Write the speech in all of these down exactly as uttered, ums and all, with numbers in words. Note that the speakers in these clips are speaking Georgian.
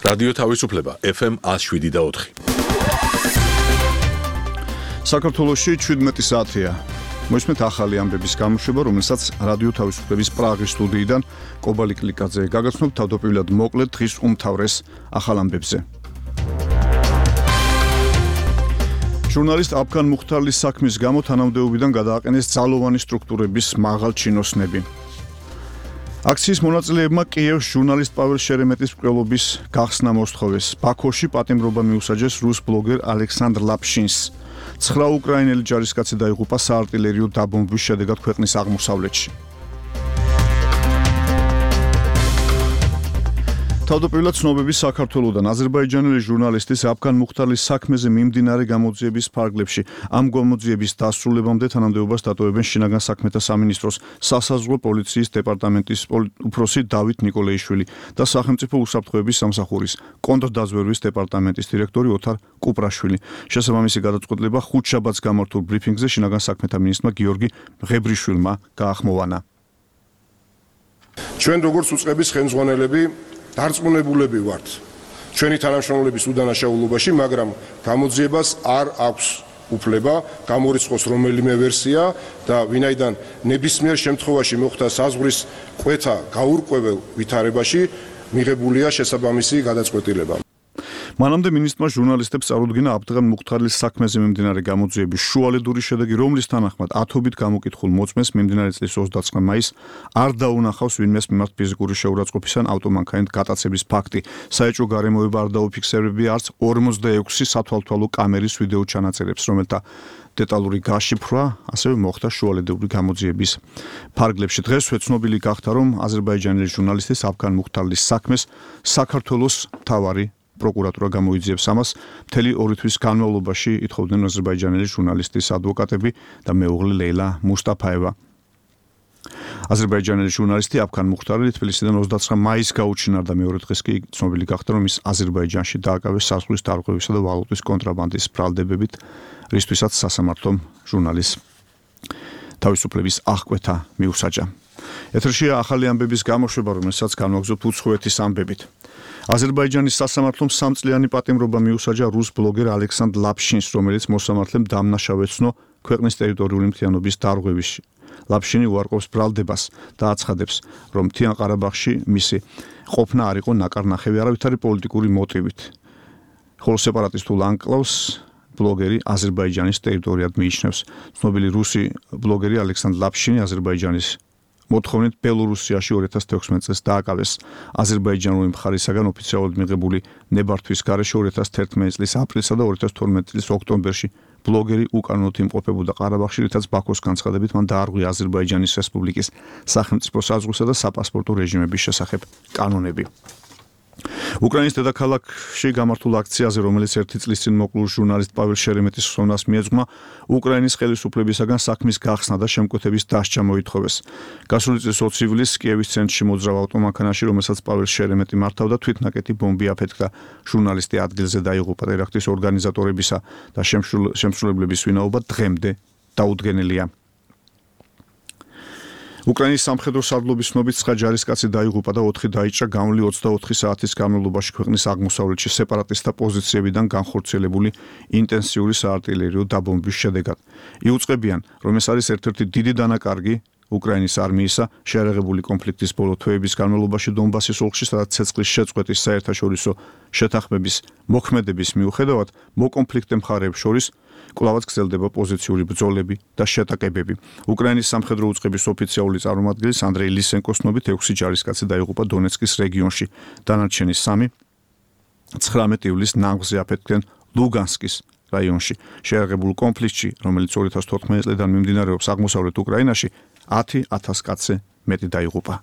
რადიო თავისუფლება ეფ ემ one oh seven და four. საქართველოში შვიდმეტი საათია. მოისმენთ ახალი ამბების გამოშვება, რომელსაც რადიო თავისუფლების პრაღის სტუდიიდან კობალი კლიკაძე გაგაცნობთ თავდაპირველად მოკლედ დღის უმთავრეს ახალ ამბებზე. ჟურნალისტ აფგან მუხთარლის საქმის გამო თანამდებობიდან გადააყენეს ძალოვანი სტრუქტურების მაღალ ჩინოსნები. აქციის მონაწილეებმა კიევს ჟურნალისტ პაվել შერემეტის მკვლელობის გახსნა მოსთხოვეს. ბაქოში პატიმრობა მიუსაჯეს რუს ბლოგერ ალექსანდრ ლაპშინს. ცხრა უკრაინელი ჯარისკაცი დაიღუპა საარტილერიო დაბომბვის შედეგად ქვეყნის აღმოსავლეთში. თავდაპირველად ცნობები საქართველოდან აზერბაიჯანელი ჟურნალისტის აფგან მუხთარლის საქმეზე მიმდინარე გამოძიების ფარგლებში ამ გამოძიების დასრულებამდე თანამდებობას დატოვებენ შინაგან საქმეთა სამინისტროს სასაზღვრო პოლიციის დეპარტამენტის უფროსი დავით ნიკოლეიშვილი და სახელმწიფო უსაფრთხოების სამსახურის კონტრდაზვერვის დეპარტამენტის დირექტორი ოთარ კუპრაშვილი. შესაბამისი გადაწყვეტილება ხუთშაბათს გამართულ ბრიფინგზე შინაგან საქმეთა მინისტრმა გიორგი მღებრიშვილმა გაახმოვანა. ჩვენ როგორც უწყების ხელმძღვანელები დარწმუნებულები ვართ ჩვენი თანამშრომლობის უდანაშაულობაში, მაგრამ გამოძიებას არ აქვს უფლება გამორიცხოს რომელიმე ვერსია და ვინაიდან ნებისმიერ შემთხვევაში მოხდა საზღვრის კვეთა გაურკვეველ ვითარებაში მიღებულია შესაბამისი გადაწყვეტილება. მანამდე მინისტრმა ჟურნალისტებს წარუდგინა აფგან მუხთარლის საქმეზე მიმდინარე გამოძიების შუალედური შედეგი, რომლის თანახმად ათობით გამოკითხულ მოწმეს მიმდინარე წლის ოცდაცხრა მაისს არ დაუნახავს ვინმეს მიმართ ფიზიკური შეურაცხყოფის ან ავტომანქანით გატაცების ფაქტი. საეჭვო გარემოება არ დაუფიქსირებია არც ორმოცდაექვსი სათვალთვალო კამერის ვიდეო ჩანაწერებს, რომელთა დეტალური გაშიფრვა ასევე მოხდა შუალედური გამოძიების ფარგლებში. დღესვე ცნობილი გახდა, რომ აზერბაიჯანელი ჟურნალისტის აფგან მუხთარლის საქმეს საქართველოს მთავარი პროკურატურა გამოიძიებს ამას. მთელი ორი თვის განმავლობაში ითხოვდნენ აზერბაიჯანელი ჟურნალისტის ადვოკატები და მეუღლე ლეილა მუსტაფაევა. აზერბაიჯანელი ჟურნალისტი აფგან მუხთარი თბილისიდან ოცდაცხრა მაისს გაუჩინარდა. მეორე დღეს კი ცნობილი გახდა, რომ ის აზერბაიჯანში დააკავეს საზღვრის დარღვევისა და ვალუტის კონტრაბანდის ბრალდებებით, რისთვისაც სასამართლომ ჟურნალის თავისუფლების აღკვეთა მიუსაჯა. ეთერშია ახალი ამბების გამოშვება, რომელსაც განვაგრძობთ უცხოეთის ამბებით. აზერბაიჯანის სასამართლომ სამწლიანი პატიმრობა მიუსაჯა რუს ბლოგერ ალექსანდრ ლაპშინს, რომელიც მოსამართლემ დამნაშავეცნო ქვეყნის ტერიტორიული მთიანობის დარღვევაში. ლაპშინი უარყოფს ბრალდებას და აცხადებს, რომ მთიან ყარაბაღში მისი ყოფნა არ იყო ნაკარნახევი არავითარი პოლიტიკური მოტივით. ხოლო სეპარატისტულ ანკლავს ბლოგერი აზერბაიჯანის ტერიტორიად მიიჩნევს. ცნობილი რუსი ბლოგერი ალექსანდრ ლაპშინი აზერბაიჯანის მოთხოვნით ბელორუსიაში ორი ათას თექვსმეტ წელს დააკავეს. აზერბაიჯანული მხარისაგან ოფიციალურად მიღებული ნებართვის გარეშე ორი ათას თერთმეტი წლის აპრილსა და ორი ათას თორმეტი წლის ოქტომბერში ბლოგერი უკანონოდ იმყოფებოდა ყარაბაღში, რითაც ბაქოს განცხადებით მან დაარღვია აზერბაიჯანის რესპუბლიკის სახელმწიფო საზღვრისა და საპასპორტო რეჟიმების შესახებ კანონები. უკრაინის დედაქალაქში გამართულ აქციაზე, რომელიც ერთი წლის წინ მოკლულ ჟურნალისტ პაվել შერემეტის ხსოვნას მიეძღვნა, უკრაინის ხელისუფლებისაგან საქმის გახსნა და შემკვეთების დასჯა მოითხოვეს. გასული წლის ოცი ივლისს კიევის ცენტრში მოძრავ ავტომანქანაში, რომელსაც პაվել შერემეტი მართავდა, თვითნაკეტი ბომბი აფეთქდა. ჟურნალისტი ადგილზე დაიღუპა. ტერაქტის ორგანიზატორებისა და შემსრულებლების ვინაობა დღემდე დაუდგენელია. უკრაინის სამხედრო სარდლობის ცნობით ცხრა ჯარისკაცი დაიღუპა და ოთხი დაიჭრა გამოვლი ოცდაოთხი საათის განმავლობაში ქვეყნის აღმოსავლეთში სეპარატისტთა პოზიციებიდან განხორციელებული ინტენსიური საარტილერიო დაბომბვის შედეგად. იუწყებიან, რომ ეს არის ერთ-ერთი დიდი დანაკარგი უკრაინის არმიისა შეერაღებული კონფლიქტის ბოლო თვეების განმავლობაში დონბასის ოლქში, სადაც ცეცხლის შეწყვეტის საერთაშორისო შეთანხმების მოქმედების მიუხედავად მოკონფლიქტე მხარეებს შორის კვლავაც გრძელდება პოზიციური ბრძოლები და შეტაკებები. უკრაინის სამხედრო უწყების ოფიციალური წარმომადგენლის ანდრეი ლისენკოს ცნობით ექვსი ჯარისკაცი დაიღუპა დონეცკის რეგიონში. დანარჩენი სამი ცხრამეტი ივლისს ნაღვზე აფეთქდნენ ლუგანსკის რაიონში. შეერაღებულ კონფლიქტში, რომელიც ორი ათას თოთხმეტი წლიდან მიმდინარეობს აღმოსავლეთ უკრაინაში, ათი ათას კაცზე მეტი დაიღუპა.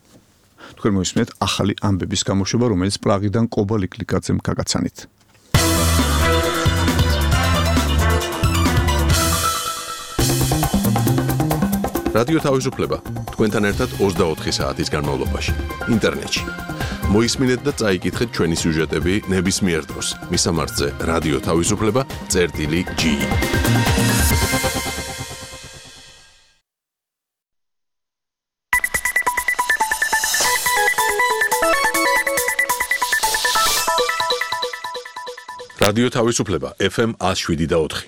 თქვენ მოისმენთ ახალი ამბების გამოშვება, რომელიც პრაღიდან კობალი კლიკაძემ გაგაცანით. რადიო თავისუფლება თქვენთან ერთად ოცდაოთხი საათის განმავლობაში ინტერნეტში. მოისმინეთ და წაიკითხეთ ჩვენი სიუჟეტები ნებისმიერ დროს. მისამართზე რადიო თავისუფლება წერტილი ჯი. რადიო თავისუფლება ეფ ემ one oh seven და four.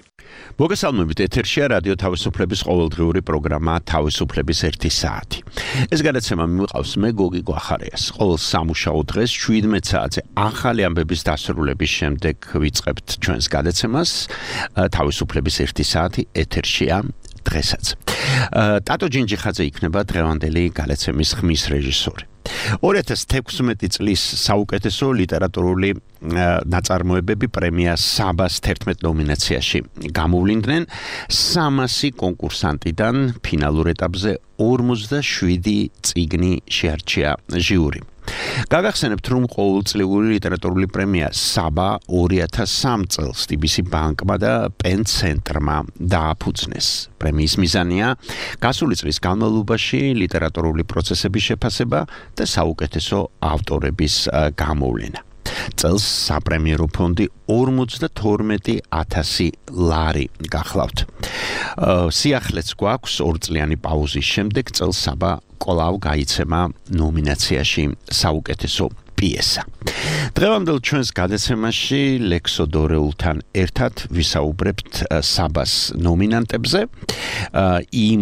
მოგესალმებით, ეთერშია რადიო თავისუფლების ყოველდღიური პროგრამა თავისუფლების ერთი საათი. ეს გადაცემა მივყავს მე გოგი გვახარიას. ყოველ სამუშაო დღეს seventeen საათზე ახალი ამბების დასრულების შემდეგ ვიწყებთ ჩვენს გადაცემას თავისუფლების ერთი საათი ეთერშია დღესაც. ტატო ჯინჯიხაძე იქნება დღევანდელი გადაცემის ხმის რეჟისორი. two thousand sixteen წლის საუკეთესო ლიტერატურული ნაწარმოებები პრემია საბას eleven ნომინაციაში გამოვლინდნენ three hundred კონკურსანტიდან ფინალურ ეტაპზე forty-seven წიგნი შეარჩია ჟიური. გაგახსენებთ, რომ ყოველწლიური ლიტერატურული პრემია საბა two thousand three წელს დი ბი სი ბანკმა და პენ ცენტრმა დააფუძნეს. პრემიის მიზანია გასული წლის განმავლობაში ლიტერატურული პროცესების შეფასება და საუკეთესო ავტორების გამოვლენა. წელს საპრემიერო ფონდი fifty-two thousand ლარი გახლავთ. სიახლეც გვაქვს ორწლიანი პაუზის შემდეგ წელს საბა კვლავ გაიცემა ნომინაციაში საუკეთესო პიესა. დღევანდელ ჩვენს გადაცემაში ლექსო დორეულთან ერთად ვისაუბრებთ საბას ნომინანტებზე, იმ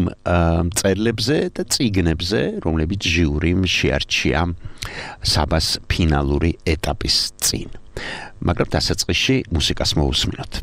მწერლებზე და წიგნებზე, რომლებიც ჟიურიმ შეარჩია საბას ფინალური ეტაპის წინ. მაგრამ დასაწყისში მუსიკას მოვუსმინოთ.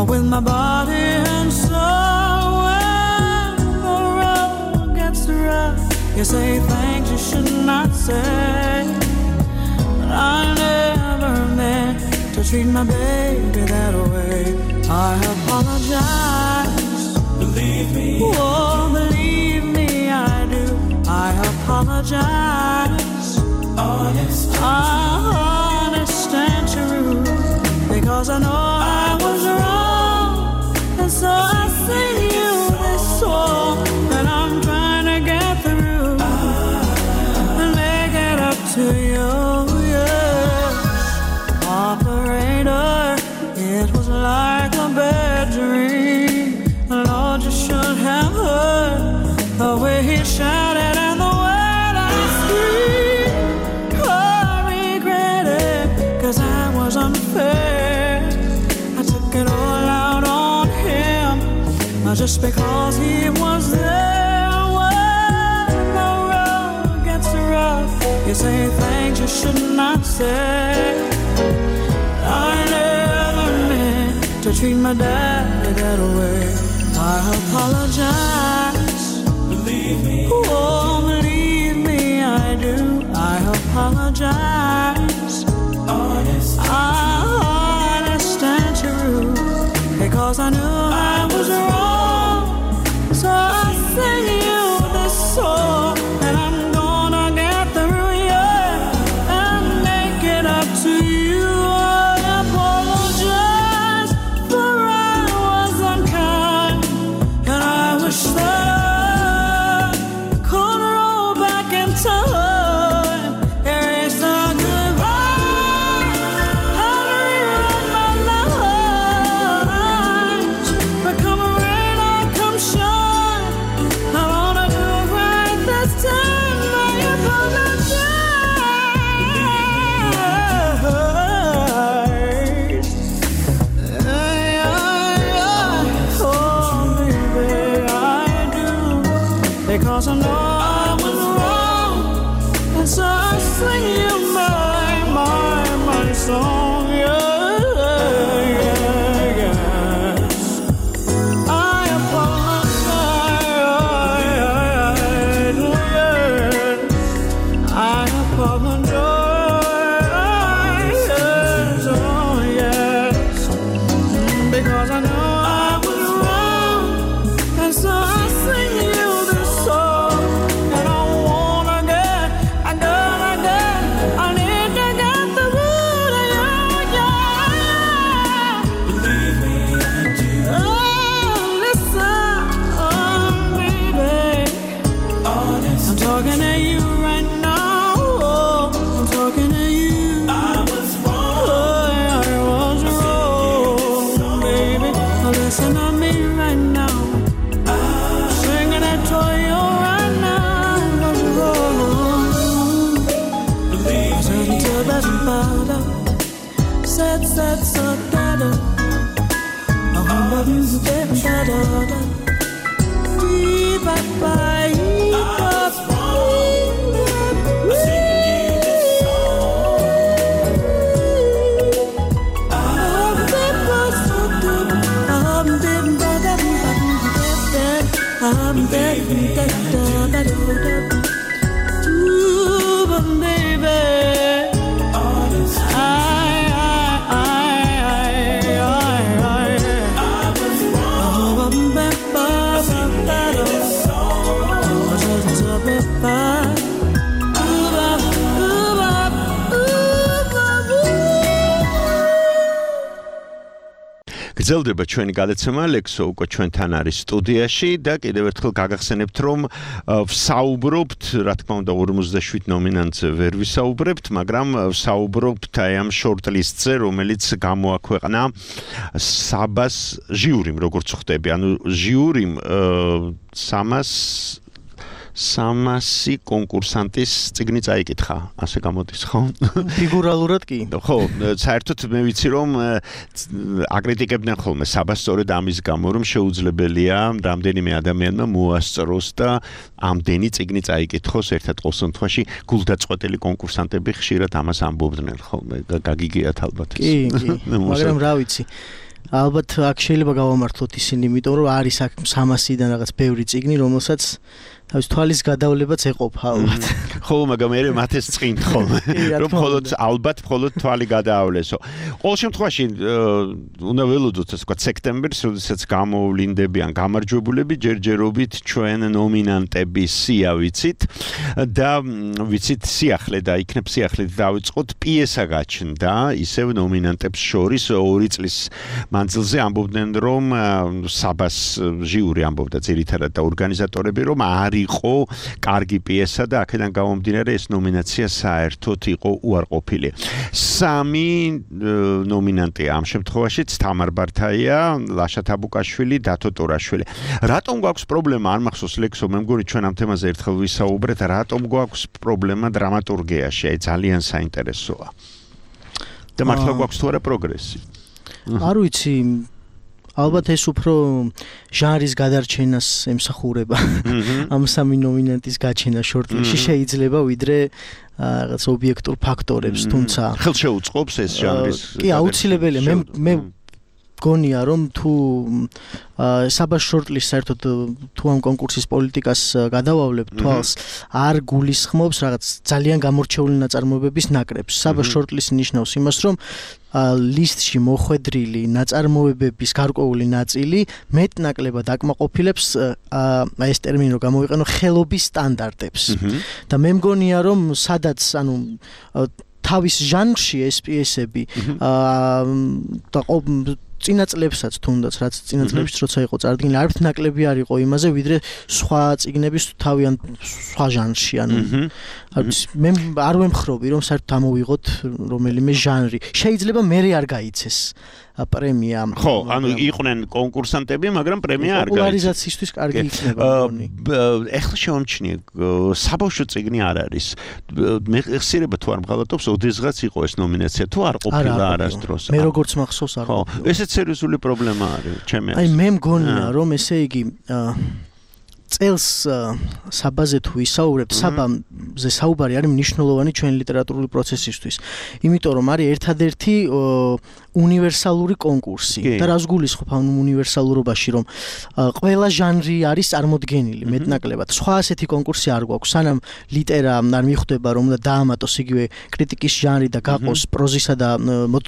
With my body and soul, when the road gets rough, you say things you should not say. But I never meant to treat my baby that way. I apologize. Believe me. Oh, believe me, I do. I apologize. Honest, honest and true, because I know I was wrong. So I sing you this song that I'm trying to get through and make it up to you, yes. Operator, it was like a bad dream. Lord, you should have heard the way he shouted and the way that he screamed. I regret it, 'cause I was unfair. I took it all out on just because he was there. When the road gets rough, you say things you should not say. I never meant to treat my daddy that way. I apologize. Believe me. Oh, believe me, I do. I apologize. Honest, honest and true, because I knew I was wrong. So I sing you this song, and I'm gonna get through, yeah, and make it up to you. I apologize for I was unkind, and I wish that I could roll back in time, erase the goodbye, and rewrite my life. said, said, so better. I remember you said, better. Bye bye. I'm dead, dead, dead, dead, dead. Ooh, but baby, I, I, I, I, I, oh, გრძელდება ჩვენი გადაცემა ლექსო უკვე ჩვენთან არის სტუდიაში და კიდევ ერთხელ გაგახსენებთ რომ ვსაუბრობთ რა თქმა უნდა ორმოცდაშვიდ ნომინანტზე ვერ ვისაუბრებთ მაგრამ ვსაუბრობთ აი ამ შორტლისტზე რომელიც გამოაქვეყნა საბას ჟიურიმ როგორც ხვდები ანუ ჟიურიმ სამას სამასი კონკურსანტის წიგნი წაიკითხა, ასე გამოდის, ხო? ფიგურალურად კი. ხო, საერთოდ მე ვიცი რომ აკრიტიკებდნენ ხოლმე საბას სწორედ ამის გამო რომ შეუძლებელია რამდენიმე ადამიანმა მოასწროს და ამდენი წიგნი წაიკითხოს ერთად ყოველ შემთხვევაში გულდაწყვეტილი კონკურსანტები ხშირად ამას ამბობდნენ ხოლმე, გაგიგიათ ალბათ. კი, კი, მაგრამ რა ვიცი. ალბათ აქ შეიძლება გავამართლოთ ისინი, იმიტომ რომ არის აქ სამასიდან რაღაც ბევრი წიგნი, რომელსაც თავის თვალის გადავლებაც ეყოფა ალბათ. ხო, მაგრამ მე მათეს წინ ხოლმე, რომ მხოლოდ ალბათ მხოლოდ თვალი გადაავლესო. ყოველ შემთხვევაში უნდა ველოდოთ ასე ვთქვათ სექტემბერს, როდესაც გამოვლინდებიან გამარჯვებულები, ჯერჯერობით ჩვენ ნომინანტების სია ვიცით და ვიცით სიახლე და იქნებ სიახლე დავიწყოთ პიესა გაჩნდა, ისევ ნომინანტებს შორის ორი წლის მანძილზე ამბობდნენ რომ საბას ჟიური ამბობდა ძირითადად და ორგანიზატორები რომ არ იყო კარგი პიესა და აქედან გამომდინარე ეს ნომინაცია საერთოდ იყო უარყოფილი. სამი ნომინანტია ამ შემთხვევაშიც თამარ ბართაია, ლაშა თაბუკაშვილი, დათო ტორაშვილი. რატომ გვაქვს პრობლემა არ მახსოვს ლექსო მე მგონი ჩვენ ამ თემაზე ერთხელ ვისაუბრეთ, რატომ გვაქვს პრობლემა დრამატურგიაში? აი ძალიან საინტერესოა. და მართლა გვაქვს თუ არა პროგრესი? არ ვიცი ალბათ ეს უფრო ჟანრის გადარჩენას ემსახურება. ამ სამი ნომინანტის გაჩენა შორტლისტში შეიძლება ვიდრე რაღაც ობიექტურ ფაქტორებს, თუმცა ხელშეუწყობს ეს ჟანრის. კი, აუცილებელია. მე მე გონია რომ თუ საბას შორტლისტს საერთოდ თუ ამ კონკურსის პოლიტიკას გადავავლებთ თვალს არ გულისხმობს რაღაც ძალიან გამორჩეული ნაწარმოებების ნაკრებს. საბას შორტლისტი ნიშნავს იმას რომ ლისტში მოხვედრილი ნაწარმოებების გარკვეული ნაწილი მეტნაკლებად აკმაყოფილებს აი ეს ტერმინი რომ გამოვიყენო ხელობის სტანდარტებს. და მე მგონია რომ სადაც ანუ თავის ჟანრში ეს პიესები და წინა წლებსაც თუნდაც რაც წინა წლებშიც როცა იყო წარდგენილი არც ნაკლები არ იყო იმაზე ვიდრე სხვა წიგნების თავიან სხვა ჟანრში ანუ მე არ ვემხრობი რომ საერთოდ ამოვიღოთ რომელიმე ჟანრი შეიძლება მე არ გაიცეს პრემია ხო ანუ იყვნენ კონკურსანტები მაგრამ პრემია არ გაიცეს პოპულარიზაციისთვის კარგი იქნება მგონი ეხლა შევამჩნიე საბავშვო წიგნი არ არის მე ხსირება თუ არ მღალატობს ოდესღაც იყო ეს ნომინაცია თუ არ ყოფილა არასდროს მე როგორც მახსოვს არ ყოფილა ხო ესეც სერიოზული პრობლემა არის ჩემი აი მე მგონია რომ ესე იგი წელს საბაზე თუ ვისაუბრებთ, საბაზე საუბარი არის მნიშვნელოვანი ჩვენი ლიტერატურული პროცესისთვის. იმიტომ რომ არის ერთადერთი უნივერსალური კონკურსი და რას გულისხმობ ამ უნივერსალურობაში რომ ყველა ჟანრი არის წარმოდგენილი მეტნაკლებად. სხვა ასეთი კონკურსი არ გვაქვს. სანამ ლიტერა არ მიხვდება რომ უნდა დაამატოს იგივე კრიტიკის ჟანრი და გაყოს პროზისა და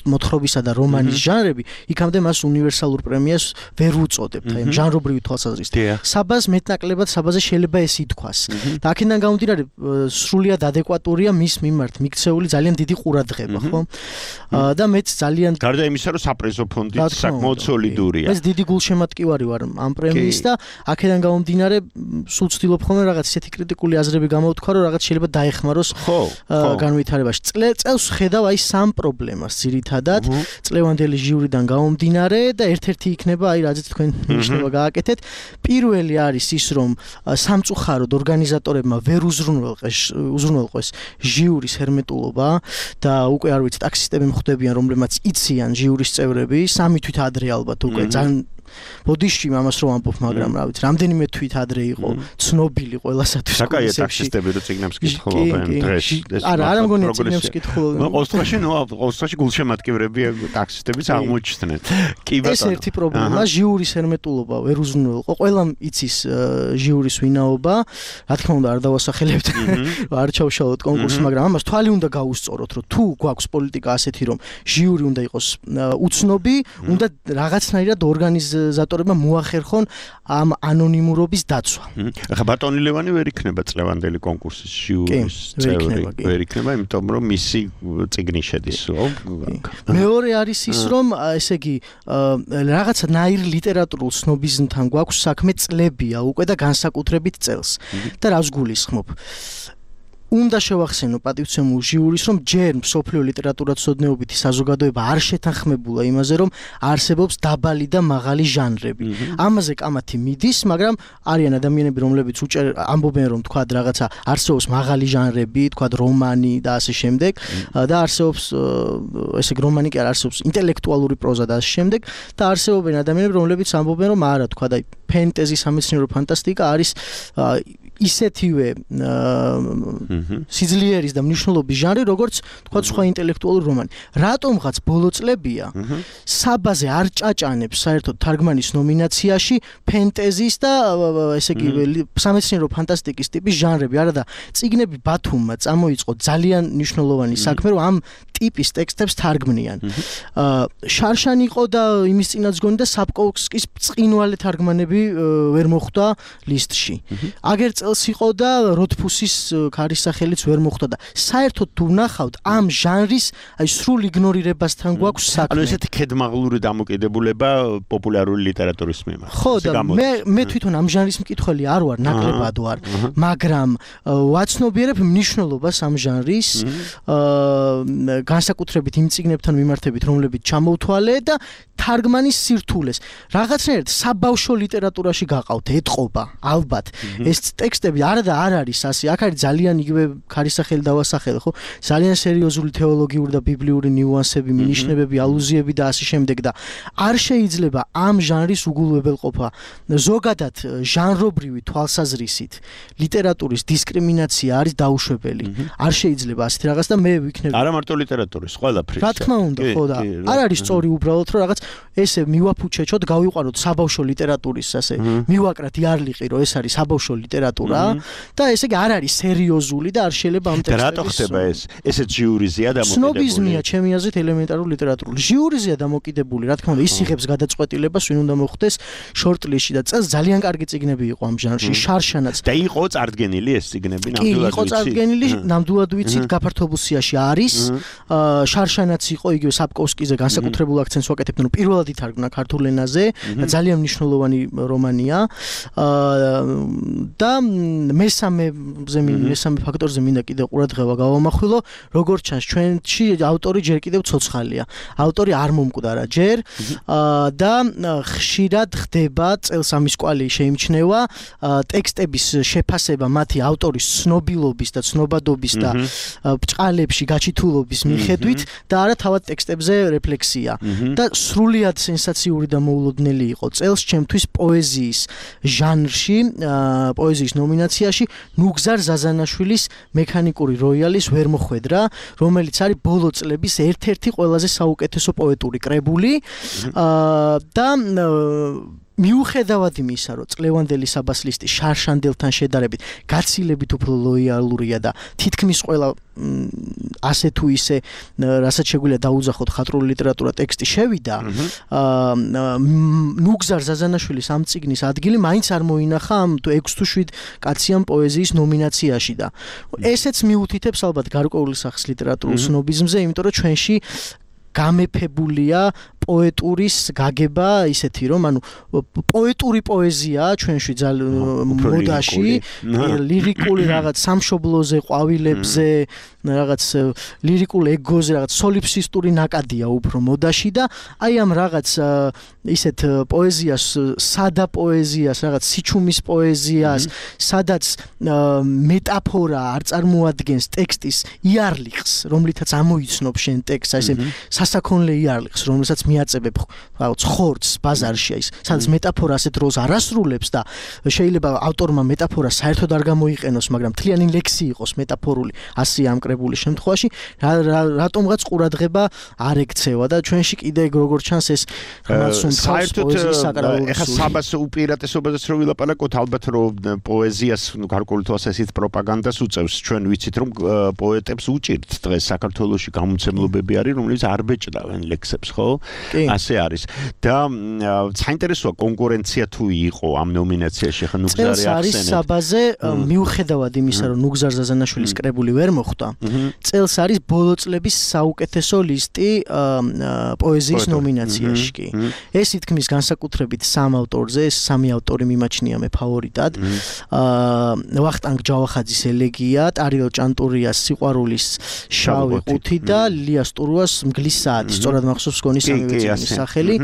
მოთხრობისა და რომანის ჟანრები, იქამდე მას უნივერსალურ პრემიას ვერ უწოდებთ. აი ჟანრობრივი თვალსაზრისით. საბას მეტნაკლებად საბაზე შეიძლება ეს ითქვას. და აქედან გამომდინარე სრულიად ადეკვატურია მის მიმართ მიქცეული ძალიან დიდი ყურადღება, ხო? და მეც ძალიან გარდა იმისა, რომ საპრიზო ფონდი საკმაოდ სოლიდურია. ეს დიდი გულშემატკივარი ვარ ამ პრემიის და აქედან გამომდინარე სულ ვცდილობ ხოლმე რაღაც ისეთი კრიტიკული აზრები გამოვთქვა, რომ რაღაც შეიძლება დაეხმაროს განვითარებაში. წელს ხედავ აი სამ პრობლემას ძირითადად წლევანდელი ჟიურიდან გამომდინარე და ერთ-ერთი იქნება აი რაზეც თქვენ ნიშნება გააკეთეთ. პირველი არის ის, რომ სამწუხაროდ ორგანიზატორებმა ვერ უზრუნველყეს უზრუნველყეს ჟიურის ჰერმეტულობა და უკვე არ ვიცი ტაქსისტები მხვდებიან, რომლებმაც იციან ჟიურის წევრები, სამი თვით ადრე ალბათ უკვე ძალიან ბოდიში ამას რომ ამბობ, მაგრამ რა ვიცი, რამდენიმე თვით ადრე იყო ცნობილი ყველასათვის. საკაია ტაქსისტები რო ციგნებს კითხულობენ დღეს. არა, არა მგონია ციგნებს კითხულობენ. ოსტრაში ნუ ოსტრაში გულშემატკივრები ტაქსისტებიც აღმოჩნდნენ. კი ბატონო. ეს ერთი პრობლემა, ჟიურის ჰერმეტულობა ვერ უზრუნველყო. ყველამ იცის ჟიურის ვინაობა. რა თქმა უნდა, არ დავასახელებთ, არ ჩავშალოთ კონკურსს, მაგრამ ამას თვალი უნდა გაუსწოროთ, რომ თუ გვაქვს პოლიტიკა ასეთი, რომ ჟიური უნდა იყოს უცნობი, უნდა რაღაცნაირად ორგანიზატორებმა მოახერხონ ამ ანონიმურობის დაცვა. ახლა ბატონი ლევანი ვერ იქნება წლევანდელი კონკურსის ჟიურის წევრი, ვერ იქნება, იმიტომ რომ მისი წიგნი შედის. მეორე არის ის, რომ ესე იგი რაღაცა ნაირ ლიტერატურულ სნობიზმთან გვაქვს საქმე წლებია უკვე და განსაკუთრებით წელს. და რას გულისხმობ? უნდა შევახსენო პატივცემულ ჟიურის, რომ ჯერ მსოფლიო ლიტერატურათმცოდნეობითი საზოგადოება არ შეთანხმებულა იმაზე, რომ არსებობს დაბალი და მაღალი ჟანრები. ამაზე კამათი მიდის, მაგრამ არიან ადამიანები, რომლებიც უჭერ ამბობენ, რომ თქვა რაღაცა არსებობს მაღალი ჟანრები, თქვა რომანი და ასე შემდეგ და არსებობს ესე იგი რომანი კი არ არსებობს ინტელექტუალური პროზა და ასე შემდეგ და არსებობენ ადამიანები, რომლებიც ამბობენ, რომ არა, თქვა და ფენტეზი, სამეცნიერო ფანტასტიკა არის ისეთივე სიძლიერის და მნიშვნელობის ჟანრი, როგორც თქვა სხვა ინტელექტუალური რომანი. რატომღაც ბოლო წლებია საბაზე არ ჭაჭანებს საერთოდ თარგმანის ნომინაციაში ფენტეზის და ესე იგი სამეცნიერო ფანტასტიკის ტიპის ჟანრები. არა და წიგნები ბათუმმა წამოიწყო ძალიან მნიშვნელოვანი საქმე, რომ ამ ტიპის ტექსტებს თარგმნიან. შარშან იყო და იმის წინაც გონი და საპკოვსკის წინვალე თარგმანები ვერ მოხვდა ლისტში. აგერ წელს იყო და როთფუსის ქარის სახელიც ვერ მოხვდა და საერთოდ თუ ვნახავთ ამ ჟანრის აი სრულ იგნორირებასთან გვაქვს საქმე. ანუ ესეთი ქედმაღლური დამოკიდებულება პოპულარული ლიტერატურის მიმართ. ხო და მე მე თვითონ ამ ჟანრის მკითხველი არ ვარ, ნაკლებად ვარ, მაგრამ ვაცნობიერებ მნიშვნელობას ამ ჟანრის განსაკუთრებით იმ წიგნებთან მიმართებით, რომლებიც ჩამოვთვალე და თარგმანის სირთულეს. რაღაცნაირად საბავშვო ლიტერატურაში გაყავთ, ეთყობა, ალბათ. ეს ტექსტები არა და არ არის ასე. აქ არის ძალიან იგივე ქარისახელი დავასახელე, ხო? ძალიან სერიოზული თეოლოგიური და ბიბლიური ნიუანსები, მინიშნებები, ალუზიები და ასე შემდეგ და არ შეიძლება ამ ჟანრის უგულებელყოფა. ზოგადად ჟანრობრივი თვალსაზრისით ლიტერატურის დისკრიმინაცია არის დაუშვებელი. არ შეიძლება ასეთი რაღაც და მე ვიქნები. არა მარტო ლიტერატურის, ყველაფრის. რა თქმა უნდა, ხო და არ არის სწორი უბრალოდ რომ რაღაც ესე მივაფუჩეჩოთ, გავიყვანოთ საბავშვო ლიტერატურის ასე, მივაკრათ იარლიყი, რომ ეს არის საბავშვო ლიტერატურა და ესე იგი არ არის სერიოზული და არ შეიძლება ამ ტექსტების. რატო ხდება ეს? ესეც ჟიურიზია დამოკიდებული. სნობიზმია ჩემი აზრით ელემენტარული ლიტერატურული. ჟიურიზია დამოკიდებული, რა თქმა უნდა, ის იღებს გადაწყვეტილებას, ვინ უნდა მოხვდეს შორტლისტში და წელს ძალიან კარგი წიგნები იყო ამ ჟანრში, შარშანაც. და იყო წარდგენილი ეს წიგნები ნამდვილად ვიცი. იყო წარდგენილი, ნამდვილად ვიცით, გაფართობულ სიაში არის. შარშანაც იყო იგივე საპკოვსკიზე განსაკუთრებულ აქცენტს ვაკეთებთ, რომ პირველად ითარგმნა ქართულ ენაზე და ძალიან მნიშვნელოვანი რომანია. და მესამეზე მესამე ფაქტორზე მინდა კიდევ ყურადღება გავამახვილო, როგორც ჩანს ჩვენში ავტორი ჯერ კიდევ ცოცხალია. ავტორი არ მომკვდარა ჯერ და ხშირად ხდება წელს ამის კვალი შეიმჩნევა ტექსტების შეფასება მათი ავტორის ცნობილობის და ცნობადობის და ბრჭყალებში გაჩითულობის მიხედვით და არა თავად ტექსტებზე რეფლექსია. და სრულიად სენსაციური და მოულოდნელი იყო წელს ჩემთვის პოეზიის ჟანრში, პოეზიის ნომინაციაში ნუგზარ ზაზანაშვილის მექანიკური როიალის ვერ მოხვედრა, რომელიც არის ბოლო წლების ერთ-ერთი ყველაზე საუკეთესო პოეტური კრებული და მიუხედავად იმისა, რომ წლევანდელი საბასლისტი შარშანდელთან შედარებით გაცილებით უფრო ლოიალურია და თითქმის ყველა ასე თუ ისე რასაც შეგვიძლია დაუძახოთ ხატრული ლიტერატურა ტექსტი შევიდა, ნუგზარ ზაზანაშვილის ამ წიგნის ადგილი მაინც არ მოინახა ამ ექვს თუ შვიდ კაციან პოეზიის ნომინაციაში და ესეც მიუთითებს ალბათ გარკვეული სახის ლიტერატურულ სნობიზმზე, იმიტომ რომ ჩვენში გამეფებულია პოეტურის გაგება ისეთი რომ ანუ პოეტური პოეზია ჩვენში მოდაში ლირიკული რაღაც სამშობლოზე ყვავილებზე რაღაც ლირიკულ ეგოზე რაღაც სოლიფსისტური ნაკადია უფრო მოდაში და აი ამ რაღაც ისეთ პოეზიას სადა პოეზიას რაღაც სიჩუმის პოეზიას სადაც მეტაფორა არ წარმოადგენს ტექსტის იარლიხს რომლითაც ამოიცნობ შენ ტექსტს აი ესე სასაქონლე იარლიხს რომელსაც მიაწებებ რაღაც ხორცს ბაზარში ის სადაც მეტაფორა ასეთ როლს არ ასრულებს და შეიძლება ავტორმა მეტაფორა საერთოდ არ გამოიყენოს მაგრამ მთლიანი ლექსი იყოს მეტაფორული ასე ამკრებული შემთხვევაში რატომღაც ყურადღება არ ექცევა და ჩვენში კიდე როგორ ჩანს ეს საერთოდ ეხა საბას უპირატესობაზეც რო ვილაპარაკოთ ალბათ რომ პოეზიას გარკვეული თვალსაზრისით პროპაგანდას უწევს ჩვენ ვიცით რომ პოეტებს უჭირთ დღეს საქართველოში გამომცემლობები არის რომლებიც არ ბეჭდავენ ლექსებს ხო ასე არის და საინტერესოა კონკურენცია თუ იყო ამ ნომინაციაში ხა ნუგზარი ახსენეთ არის საბაზე მიუხედავად იმისა რომ ნუგზარ ზაზანაშვილის კრებული ვერ მოხვდა წელს არის ბოლო წლების საუკეთესო ლისტი პოეზიის ნომინაციაში კი ეს ითქმის განსაკუთრებით სამ ავტორზე ეს სამი ავტორი მიმაჩნია მე ფავორიტად ვახტანგ ჯავახაძის ელეგია ტარიელ ჭანტურიას სიყვარულის შავი ყუთი და ლიას ტურუას მგლის საათი სწორად მახსოვს გონი სამივე წიგნის სახელი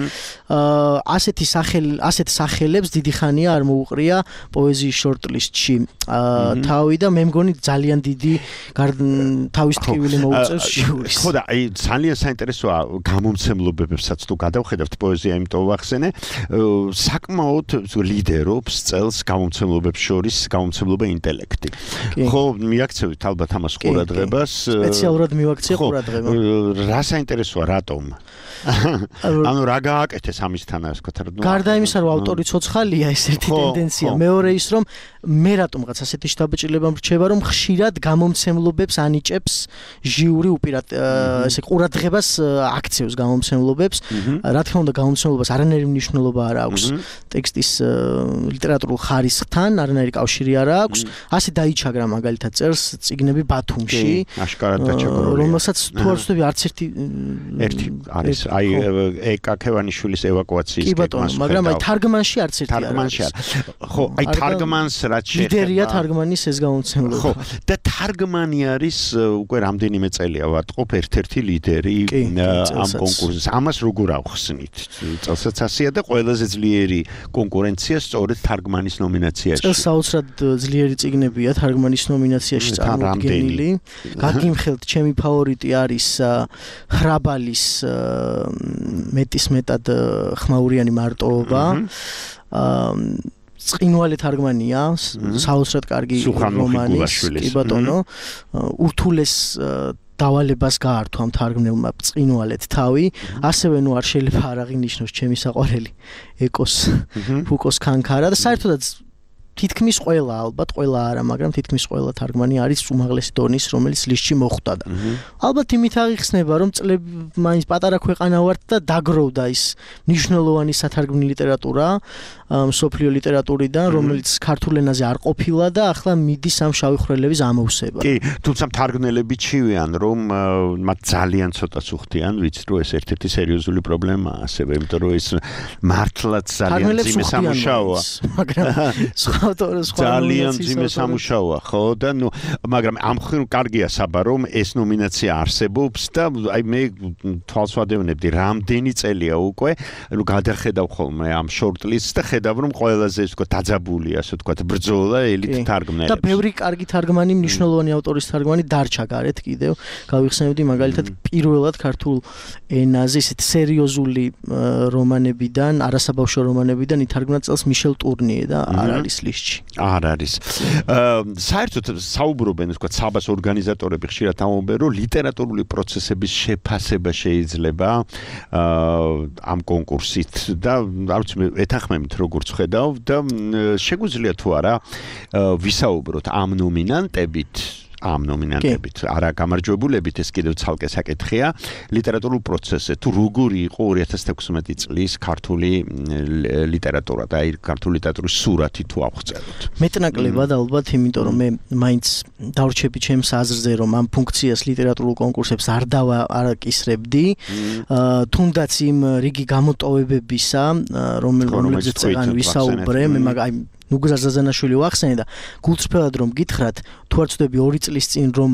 ასეთი სახელი ასეთ სახელებს დიდი ხანია არ მოუყრია პოეზიის შორტლისტში თავი და მე მგონი ძალიან დიდი თავის ტკივილი მოუწევს ჟიურის ხო და აი ძალიან საინტერესოა გამომცემლობებსაც თუ გადავხედავთ პოეზია იმიტომ ვახსენე საკმაოდ ლიდერობს წელს გამომცემლობებს შორის გამომცემლობა ინტელექტი ხო მიაქცევით ალბათ ამას ყურადღებას სპეციალურად მივაქცია ყურადღება რა საინტერესოა რატომ ანუ რა გააკეთეს ამისთან ასე ვთქვათ გარდა იმისა რომ ავტორი ცოცხალია ეს ერთი ტენდენცია მეორე ის რომ მე რატომღაც ასეთი შთაბეჭდილება მრჩება რომ ხშირად გამომცემლობებს ანიჭებს ჟიური უპირატ ესე ყურადღებას აქცევს გამომცემლობებს რა თქმა უნდა გამომცემლობას არანაირი მნიშვნელობა არ აქვს ტექსტის ლიტერატურულ ხარისხთან არანაირი კავშირი არ აქვს ასე დაიჩაგრა მაგალითად წერს წიგნები ბათუმში აშკარად დაჩაგრული რომელსაც თუ არ ვცდები არც ერთი ერთი არის აი ეკა ქევანიშვილის ევაკუაციის კი ბატონო მაგრამ აი თარგმანში არც ერთი არ თარგმანში ხო აი თარგმანს რაც შეეხება ლიდერია თარგმანის ეს გამომცემლობა ხო და თარგმანი არის უკვე რამდენიმე წელია ვატყობ ერთ-ერთი ლიდერი ამ კონკურსის ამას როგორ ავხსნით წელსაც ასეა და ყველაზე ძლიერი კონკურენცია სწორედ თარგმანის ნომინაციაში წელს საოცრად ძლიერი წიგნებია თარგმანის ნომინაციაში წარმოდგენილი გაგიმხელთ ჩემი ფავორიტი არის ხრაბალის მეტის მეტად ხმაურიანი მარტოობა წინვალე თარგმანია საოცრად კარგი რომანის კი ბატონო ურთულეს დავალებას გაართვა ამ თარგმნელმა წინვალეთ თავი ასევე ნუ არ შეიძლება არ აღინიშნოს ჩემი საყვარელი ეკოს ფუკოს ქანქარა და საერთოდაც თითქმის ყველა ალბათ ყველა არა მაგრამ თითქმის ყველა თარგმანი არის უმაღლესი დონის რომელიც ლისტში მოხვდა და ალბათ იმით აღიხსნება რომ წლები მაინც პატარა ქვეყანა ვართ და დაგროვდა ის მნიშვნელოვანი სათარგმნი ლიტერატურა მსოფლიო ლიტერატურიდან რომელიც ქართულ ენაზე არ ყოფილა და ახლა მიდის ამ შავი ხვრელების ამოვსება კი თუმცა თარგმნელები ჩივიან რომ მათ ძალიან ცოტას უხდიან ვიცით რომ ეს ერთ-ერთი სერიოზული პრობლემაა ასევე იმიტომ რომ ეს მართლაც ძალიან ძიმე სამუშაოა მაგრამ ძალიან ძიმე სამუშაოა ხო და ნუ მაგრამ ამ ხრივ კარგია საბა რომ ეს ნომინაცია არსებობს და აი მე თვალს ვადევნებდი რამდენი წელია უკვე ნუ გადახედავ ხოლმე ამ შორტლისტს და ხედავ რომ ყველაზე ის თქო დაძაბულია ასე თქო ბრძოლა ელიტ თარგმნელებს და ბევრი კარგი თარგმანი მნიშვნელოვანი ავტორის თარგმანი დარჩა გარეთ კიდევ გავიხსენებდი მაგალითად პირველად ქართულ ენაზე ისეთ სერიოზული რომანებიდან არასაბავშვო რომანებიდან ითარგმნა წელს მიშელ ტურნიე და არ არის ლისტში არ არის საერთოდ საუბრობენ თქო საბას ორგანიზატორები ხშირად ამბობენ რომ ლიტერატურული პროცესების შეფასება შეიძლება ამ კონკურსით და არ ვიცი მე ეთანხმებით როგორც ხედავ და შეგვიძლია თუ არა ვისაუბროთ ამ ნომინანტებით ამ ნომინანტებით. არა გამარჯვებულებით, ეს კიდევ ცალკე საკითხია. ლიტერატურულ პროცესზე თუ როგორი იყო ორი ათას თექვსმეტი წლის ქართული ლიტერატურა და აი ქართული ლიტერატურის სურათი თუ აღწეროთ. მეტნაკლებად ალბათ, იმიტომ რომ მე მაინც დავრჩები ჩემს აზრზე, რომ ამ ფუნქციას ლიტერატურულ კონკურსებს არ დავაკისრებდი, თუნდაც იმ რიგი გამოტოვებებისა, რომელზეც წეგან ვისაუბრე, მე მაგ აი ნუგზარ ზაზანაშვილი ვახსენე და გულწრფელად რომ გითხრათ, თუ არ ვწდები ორი წლის წინ რომ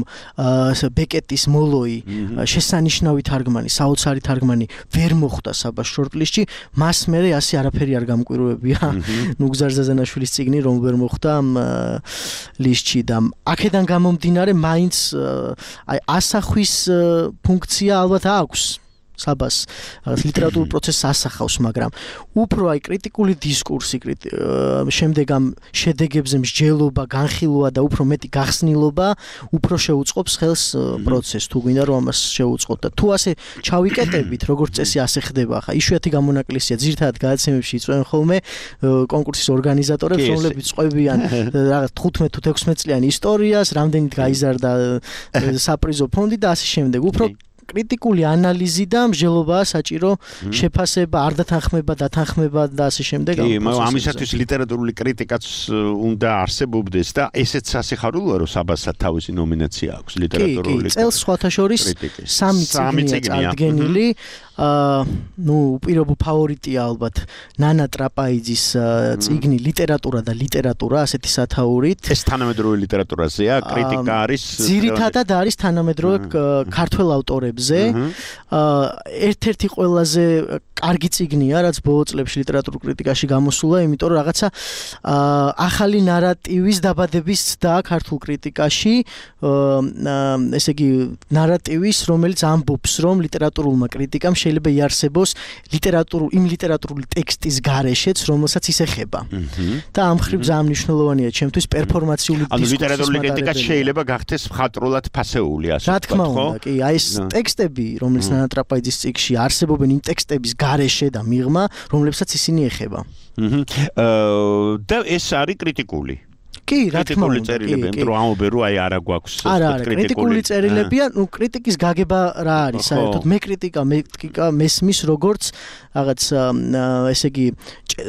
ბეკეტის მოლოი შესანიშნავი თარგმანი, საოცარი თარგმანი ვერ მოხვდა საბას შორტლისტში, მას მერე ასე არაფერი არ გამკვირვებია. ნუგზარ ზაზანაშვილის წიგნი რომ ვერ მოხვდა ამ ლისტში და აქედან გამომდინარე მაინც აი ასახვის ფუნქცია ალბათ აქვს. საბას ლიტერატურულ პროცესს ასახავს, მაგრამ უფრო აი კრიტიკული დისკურსი, შემდეგ ამ შედეგებზე მსჯელობა, განხილვა და უფრო მეტი გახსნილობა უფრო შეუწყობს ხელს პროცესს, თუ გვინდა რომ ამას შეუწყოთ და თუ ასე ჩავიკეტებით, როგორც წესი ასე ხდება, ხა იშვიათი გამონაკლისია, ძირითადად გადაცემებში იწვევენ ხოლმე კონკურსის ორგანიზატორებს, რომლებიც წყვებიან რაღაც თხუთმეტ თუ თექვსმეტ წლიანი ისტორიას, რამდენით გაიზარდა საპრიზო ფონდი და ასე შემდეგ. უფრო კრიტიკული ანალიზი და მსჯელობაა საჭირო, შეფასება, არ დათანხმება, დათანხმება და ასე შემდეგ. კი, მაგრამ ამისათვის ლიტერატურული კრიტიკაც უნდა არსებობდეს და ესეც სასიხარულოა, რომ საბასად თავისი ნომინაცია აქვს ლიტერატურული. კი, წელს სხვათა შორის სამი წიგნია წარდგენილი. აა ნუ უპირობო ფავორიტია ალბათ ნანა ტრაპაიძის წიგნი ლიტერატურა და ლიტერატურა ასეთი სათაურით. ეს თანამედროვე ლიტერატურაზეა, კრიტიკა არის. ძირითადად არის თანამედროვე ქართველ ავტორებზე. აა ერთ-ერთი ყველაზე კარგი წიგნია, რაც ბოლო წლებში ლიტერატურულ კრიტიკაში გამოსულა, იმიტომ რომ რაღაცა აა ახალი ნარატივის დაბადების და ქართულ კრიტიკაში, აა ესე იგი ნარატივის, რომელიც ამბობს, რომ ლიტერატურულმა კრიტიკამ შეიძლება იარსებოს ლიტერატურულ იმ ლიტერატურული ტექსტის გარეშეც, რომელსაც ის ეხება. და ამ მხრივ ძალიან მნიშვნელოვანია ჩემთვის პერფორმაციული დისკურსის. ანუ ლიტერატურული კრიტიკა შეიძლება გახდეს მხატვრულად ფასეული, ასე რა თქმა უნდა, კი, აი ეს ტექსტები, რომელიც ნანა ტრაპაიძის წიგნში არსებობენ, იმ ტექსტების გარეშე და მიღმა, რომლებსაც ისინი ეხება. აა და ეს არის კრიტიკული. კი, რა თქმა უნდა, წერილები, იმიტომ რომ ამობენ რომ აი არა გვაქვს კრიტიკული წერილებია, ნუ კრიტიკის გაგება რა არის, საერთოდ მე კრიტიკა, მე კრიტიკა მესმის როგორც რაღაც ესე იგი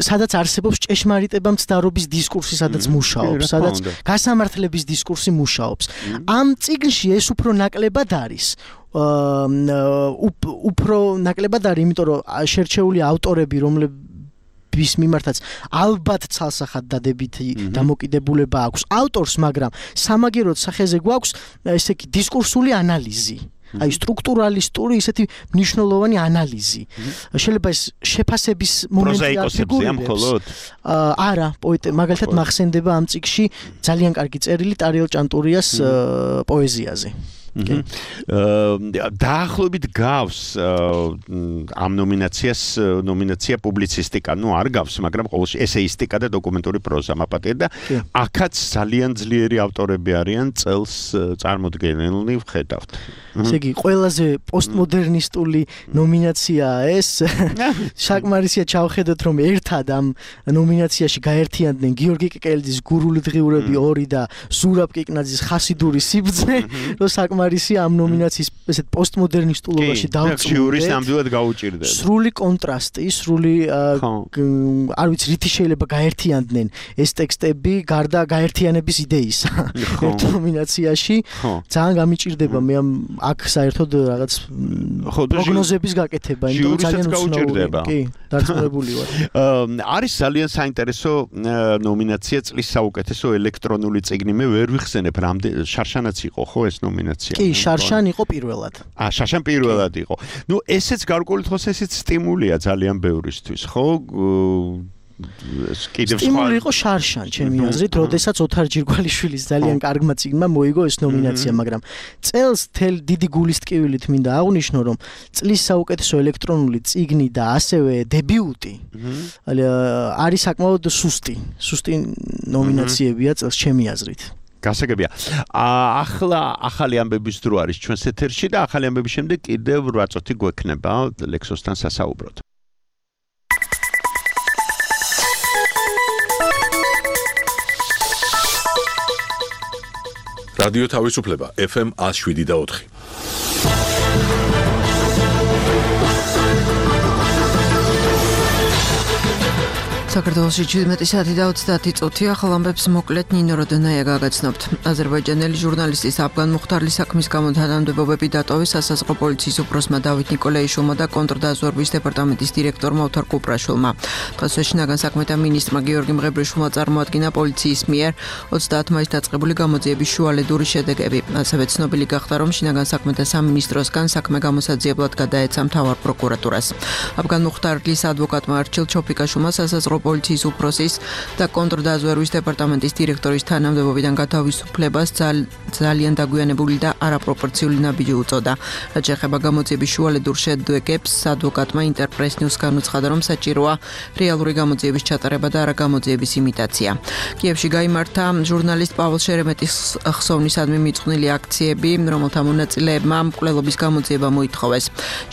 სადაც არსებობს ჭეშმარიტება მცდარობის დისკურსი, სადაც მუშაობს, სადაც გასამართლების დისკურსი მუშაობს. ამ წიგნში ეს უფრო ნაკლებად არის. უფრო ნაკლებად არის, იმიტომ რომ შერჩეული ავტორები, რომლებიც ვის მიმართაც ალბათ ცალსახად დადებითი დამოკიდებულება აქვს ავტორს, მაგრამ სამაგეროდ სახეზე გვაქვს ესე იგი დისკურსული ანალიზი. აი სტრუქტურალისტური ისეთი მნიშვნელოვანი ანალიზი. შეიძლება ეს შეფასების მომენტი არ ფიგურირებს. არა, პოეტი მაგალითად მახსენდება ამ წიგნში ძალიან კარგი წერილი ტარიელ ჭანტურიას პოეზიაზე. დაახლოებით გავს ამ ნომინაციას ნომინაცია პუბლიცისტიკა, ნუ არ გავს, მაგრამ ყოველში ესეისტიკა და დოკუმენტური პროზა მაპატია და აქაც ძალიან ძლიერი ავტორები არიან წელს წარმოდგენილნი ვხედავთ. ესე იგი, ყველაზე პოსტმოდერნისტული ნომინაციაა ეს. საკმარისია ჩავხედოთ, რომ ერთად ამ ნომინაციაში გაერთიანდნენ გიორგი კეკელიძის გურული დღიურები ორი და ზურაბ კიკნაძის ხასიდური სიბრძნე, რომ საკმარისია ამ ნომინაციის ესეთ პოსტმოდერნისტულობაში დავწუნდეთ. ნამდვილად გაუჭირდება. სრული კონტრასტი, სრული არ ვიცი, რითი შეიძლება გაერთიანდნენ ეს ტექსტები გარდა გაერთიანების იდეისა. ერთ ნომინაციაში ძალიან გამიჭირდება მე ამ აქ საერთოდ რაღაც პროგნოზების გაკეთება, იმიტომ რომ ძალიან უცნაურია. კი, დარწმუნებული ვარ. არის ძალიან საინტერესო ნომინაცია წლის საუკეთესო ელექტრონული წიგნი. მე ვერ ვიხსენებ, რამდენი შარშანაც იყო ხო ეს ნომინაცია? კი, შარშან იყო პირველად. აა, შარშან პირველად იყო. ნუ ესეც გარკვეული თხოვს ესეც სტიმულია ძალიან ბევრისთვის, ხო? სტიმული იყო შარშან, ჩემი აზრით, როდესაც ოთარ ჯირგვალიშვილის ძალიან კარგმა წიგნმა მოიგო ეს ნომინაცია, მაგრამ წელს თელ დიდი გულის ტკივილით მინდა აღვნიშნო, რომ წლის საუკეთესო ელექტრონული წიგნი და ასევე დებიუტი არის საკმაოდ სუსტი, სუსტი ნომინაციებია წელს ჩემი აზრით. გასაგებია. ახლა ახალი ამბების დრო არის ჩვენს ეთერში და ახალი ამბების შემდეგ კიდევ რვა წუთი გვექნება ლექსოსთან სასაუბროდ. რადიო თავისუფლება ეფ ემ one oh seven და four. საქართველოში ჩვიდმეტი საათი და ოცდაათი წუთი ახალ ამბებს მოკლედ ნინო როდონაია გაგაცნობთ. აზერბაიჯანელი ჟურნალისტის აფგან მუხტარლის საქმის გამო თანამდებობები დატოვეს სასაზღვრო პოლიციის უფროსმა დავით ნიკოლაიშვილმა და კონტრდაზვერვის დეპარტამენტის დირექტორმა ოთარ კუპრაშვილმა. დღეს შინაგან საქმეთა მინისტრმა გიორგი მღებრიშვილმა წარმოადგინა პოლიციის მიერ ოცდაათ მაისს დაწყებული გამოძიების შუალედური შედეგები. ასევე ცნობილი გახდა, რომ შინაგან საქმეთა სამინისტროსგან საქმე გამოსაძიებლად გადაეცა მთავარ პროკურატურას. აფგან მუხტარლის ადვოკატმა არჩილ ჩოფიკაშვილმა სასაზღვრო პოლიციის უფროსის და კონტრდაზვერვის დეპარტამენტის დირექტორის თანამდებობიდან გათავისუფლებას ძალიან დაგვიანებული და არაპროპორციული ნაბიჯი უწოდა. რაც შეეხება გამოძიების შუალედურ შედეგებს, ადვოკატმა ინტერპრეს ნიუს განუცხადა, რომ საჭიროა რეალური გამოძიების ჩატარება და არა გამოძიების იმიტაცია. კიევში გაიმართა ჟურნალისტ პაվել შერემეტის ხსოვნისადმი მიწყვნილი აქციები, რომელთა მონაწილეებმა მკვლელობის გამოძიება მოითხოვეს.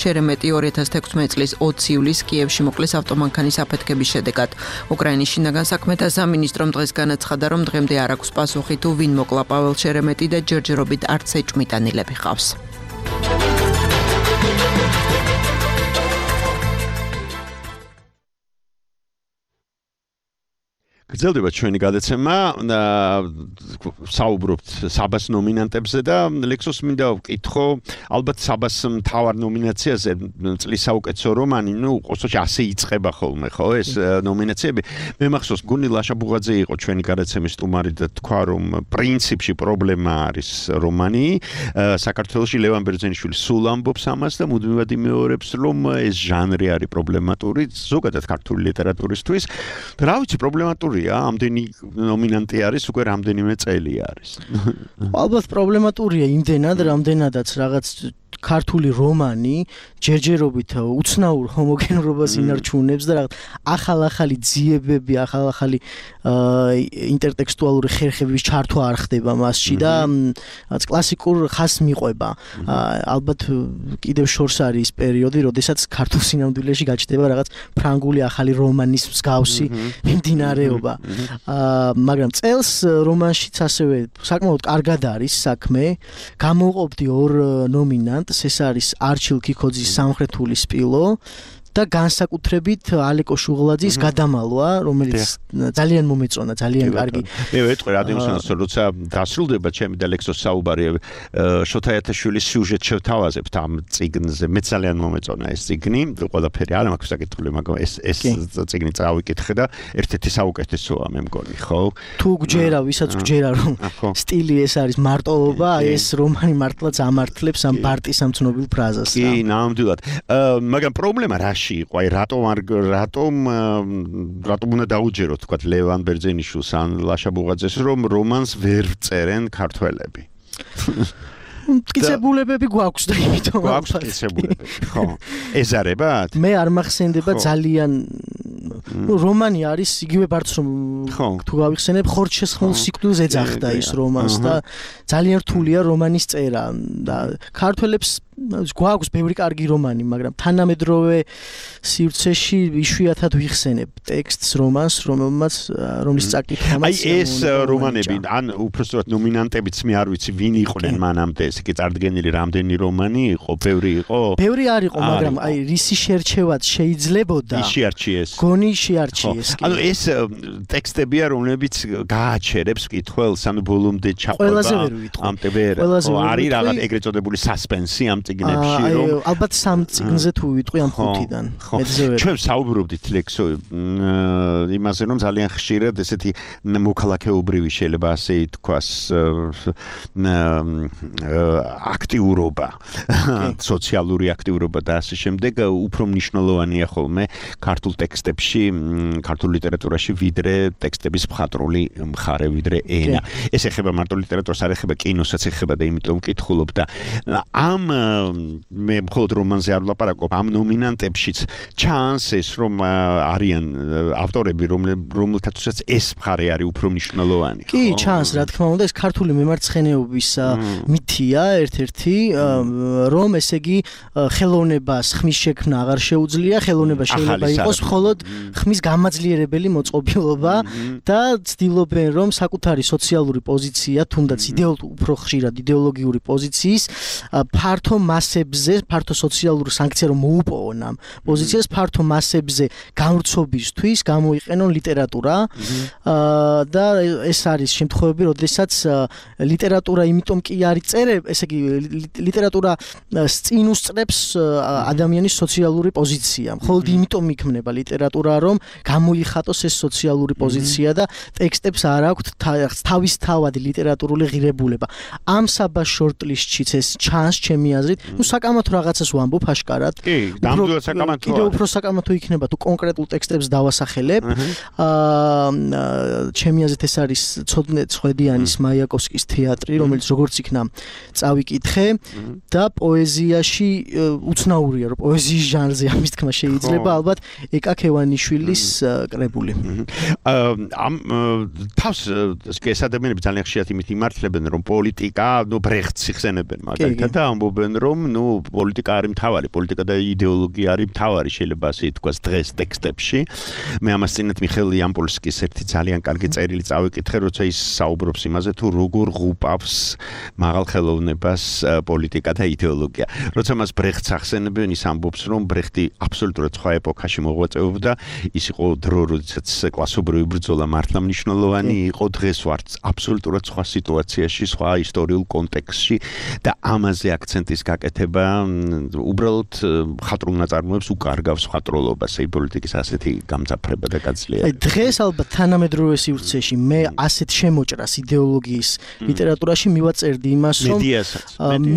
შერემეტი ორი ათას თექვსმეტი წლის ოცი ივლისს კიევში მოკლეს ავტომანქანის აფეთქების შედეგად. უკრაინის შინაგან საქმეთა სამინისტრომ დღეს განაცხადა, რომ დღემდე არ აქვს პასუხი თუ ვინ მოკლა პაվել შერემეტი და ჯერჯერობით არც ეჭვმიტანილები ყავს. გრძელდება ჩვენი გადაცემა, საუბრობთ საბას ნომინანტებზე და ლექსოს მინდა ვკითხო, ალბათ საბას მთავარ ნომინაციაზე წლის საუკეთესო რომანი, ნუ ყოველთვის ასე იწყება ხოლმე, ხო, ეს ნომინაციები. მე მახსოვს, გუნი ლაშაბუღაძე იყო ჩვენი გადაცემის სტუმარი და თქვა, რომ პრინციპში პრობლემა არის რომანი. საქართველოში ლევან ბერძენიშვილი სულ ამბობს ამას და მუდმივად იმეორებს, რომ ეს ჟანრი არის პრობლემატური, ზოგადად ქართული ლიტერატურისთვის. რა ვიცი, პრობლემატური ამდენი ნომინანტი არის, უკვე რამდენიმე წელი არის. ალბათ პრობლემატურია იმდენად, რამდენადაც რაღაც ქართული რომანი ჯერჯერობით უცნაურ ჰომოგენურობას ინარჩუნებს და რაღაც ახალ-ახალი ძიებები, ახალ-ახალი ინტერტექსტუალური ხერხების ჩართვა არ ხდება მასში და კლასიკურ ხასს მიყვება. ალბათ კიდევ შორს არის პერიოდი, როდესაც ქართულ სინამდვილეში გაჩნდება რაღაც ფრანგული ახალი რომანის მსგავსი მიმდინარეობა. მაგრამ წელს რომანშიც ასევე საკმაოდ კარგად არის საქმე. გამოვყოფდი ორ ნომინანტს, ეს არის არჩილ ქიქოძის სამხრეთული სპილო და განსაკუთრებით ალეკო შუღლაძის გადამალვა, რომელიც ძალიან მომეწონა, ძალიან კარგი. მე ვეთქვი რადიოსანს, როცა დასრულდება ჩემი და ლექსოს საუბარი შოთაიათაშვილის სიუჟეტ შევთავაზებთ ამ წიგნზე. მე ძალიან მომეწონა ეს წიგნი, ყველაფერი არ მაქვს საკითხული, მაგრამ ეს ეს წიგნი წავიკითხე და ერთ-ერთი საუკეთესოა მე მგონი, ხო? თუ გჯერა, ვისაც გჯერა, რომ სტილი ეს არის მარტოობა, ეს რომანი მართლაც ამართლებს ამ ბარტის ამ ცნობილ ფრაზას. კი, ნამდვილად. მაგრამ პრობლემა რა იყო, აი რატომ არ რატომ რატომ უნდა დაუჯეროთ თქვა ლევან ბერძენიშვილს ან ლაშაბუღაძეს, რომ რომანს ვერ წერენ ქართველები. მტკიცებულებები გვაქვს და იმიტომ გვაქვს მტკიცებულებები, ხო. ეზარებათ? მე არ მახსენდება ძალიან ნუ რომანი არის იგივე ბარც რომ თუ გავიხსენებ ხორჩესხმულ სიკვდილს ეძახდა ის რომანს და ძალიან რთულია რომანის წერა და ქართველებს გვაქვს ბევრი კარგი რომანი, მაგრამ თანამედროვე სივრცეში იშვიათად ვიხსენებ ტექსტს რომანს, რომელმაც რომლის წაკითხვა აი ეს რომანები ან უბრალოდ ნომინანტებიც მე არ ვიცი ვინ იყვნენ მანამდე, ეს კი წარდგენილი რამდენი რომანი იყო, ბევრი იყო? ბევრი არ იყო, მაგრამ აი რისი შერჩევად შეიძლებოდა? ის შეარჩიეს. გონი შეარჩიეს. ანუ ეს ტექსტებია, რომლებიც გააჩერებს კითხველს, ანუ ბოლომდე ჩაყვება. ყველაზე ვერ ვიტყვი. ამ ტებერ არის რაღაც ეგრეთ წოდებული სასპენსი ამ წიგნებში, რომ ალბათ სამ წიგნზე თუ ვიტყვი ამ ხუთიდან. ჩვენ საუბრობდით ლექსო იმაზე, რომ ძალიან ხშირად ესეთი მოქალაქეობრივი შეიძლება ასე ითქვას აქტიურობა, სოციალური აქტიურობა და ასე შემდეგ უფრო მნიშვნელოვანია ხოლმე ქართულ ტექსტებში, ქართულ ლიტერატურაში ვიდრე ტექსტების მხატვრული მხარე, ვიდრე ენა. ეს ეხება მარტო ლიტერატურას, არ ეხება კინოსაც ეხება და იმიტომ ვკითხულობ და ამ მე მხოლოდ რომანზე არ ვლაპარაკობ, ამ ნომინანტებშიც ჩანს ეს რომ არიან ავტორები, რომელთაც ეს მხარე არის უფრო მნიშვნელოვანი. კი, ჩანს, რა თქმა უნდა, ეს ქართული მემარცხენეობის მითია ერთ-ერთი, რომ ესე იგი ხელოვნებას ხმის შექმნა აღარ შეუძლია, ხელოვნება შეიძლება იყოს მხოლოდ ხმის გამაძლიერებელი მოწყობილობა და ცდილობენ რომ საკუთარი სოციალური პოზიცია, თუნდაც უფრო ხშირად იდეოლოგიური პოზიციის ფართო მასებზე, ფართო სოციალურ სანქცია რომ მოუპოვონ ამ პოზიციას, ფართო მასებზე გამრცობისთვის გამოიყენონ ლიტერატურა და ეს არის შემთხვევები, როდესაც ლიტერატურა იმიტომ კი არის წერე, ესე იგი ლიტერატურა წინ უსწრებს ადამიანის სოციალური პოზიცია. მხოლოდ იმიტომ იქმნება ლიტერატურა, რომ გამოიხატოს ეს სოციალური პოზიცია და ტექსტებს არ აქვთ თავისთავად ლიტერატურული ღირებულება. ამ საბას შორტლისტშიც ეს ჩანს ჩემი აზრით, ну საკამათო რაღაცას ვამბობ აშკარად. კი, ნამდვილად საკამათოა. კიდევ უფრო საკამათო იქნება თუ კონკრეტულ ტექსტებს დავასახელებ. აა ჩემი აზრით ეს არის ცოდნე ცხვედიანის მაიაკოვსკის თეატრი, რომელიც როგორც იქნა წავიკითხე და პოეზიაში უცნაურია, რომ პოეზიის ჟანრზე ამის თქმა შეიძლება ალბათ ეკა ქევანიშვილის კრებული. ამ თავს ეს ადამიანები ძალიან ხშირად იმით იმართლებენ, რომ პოლიტიკა, ნუ ბრეხტს იხსენებენ მაგალითად და ამბობენ, რომ ნუ პოლიტიკა არის მთავარი, პოლიტიკა და იდეოლოგია არის მთავარი, შეიძლება ასე ითქვას დღეს ტექსტებში. მე ამას წინათ მიხეილ იამპოლსკის ერთი ძალიან კარგი წერილი წავიკითხე, როცა ის საუბრობს იმაზე, თუ როგორ ღუპავს მაღალ ხელოვნებას პოლიტიკა და იდეოლოგია. როცა მას ბრეხტს ახსენებენ, ის ამბობს, რომ ბრეხტი აბსოლუტურად სხვა ეპოქაში მოღვაწეობდა, ის იყო დრო, როდესაც კლასობრივი ბრძოლა მართლა მნიშვნელოვანი იყო, დღეს ვართ აბსოლუტურად სხვა სიტუაციაში, სხვა ისტორიულ კონტექსტში და ამაზე აქცენტის გაკეთება უბრალოდ მხატვრულ ნაწარმოებს უკარგავს მხატვრობას, აი პოლიტიკის ასეთი გამძაფრება და გაძლიერება. აი დღეს ალბათ თანამედროვე სივრცეში მე ასეთ შემოჭრას იდეოლოგიის ლიტერატურაში მივაწერდი იმას, რომ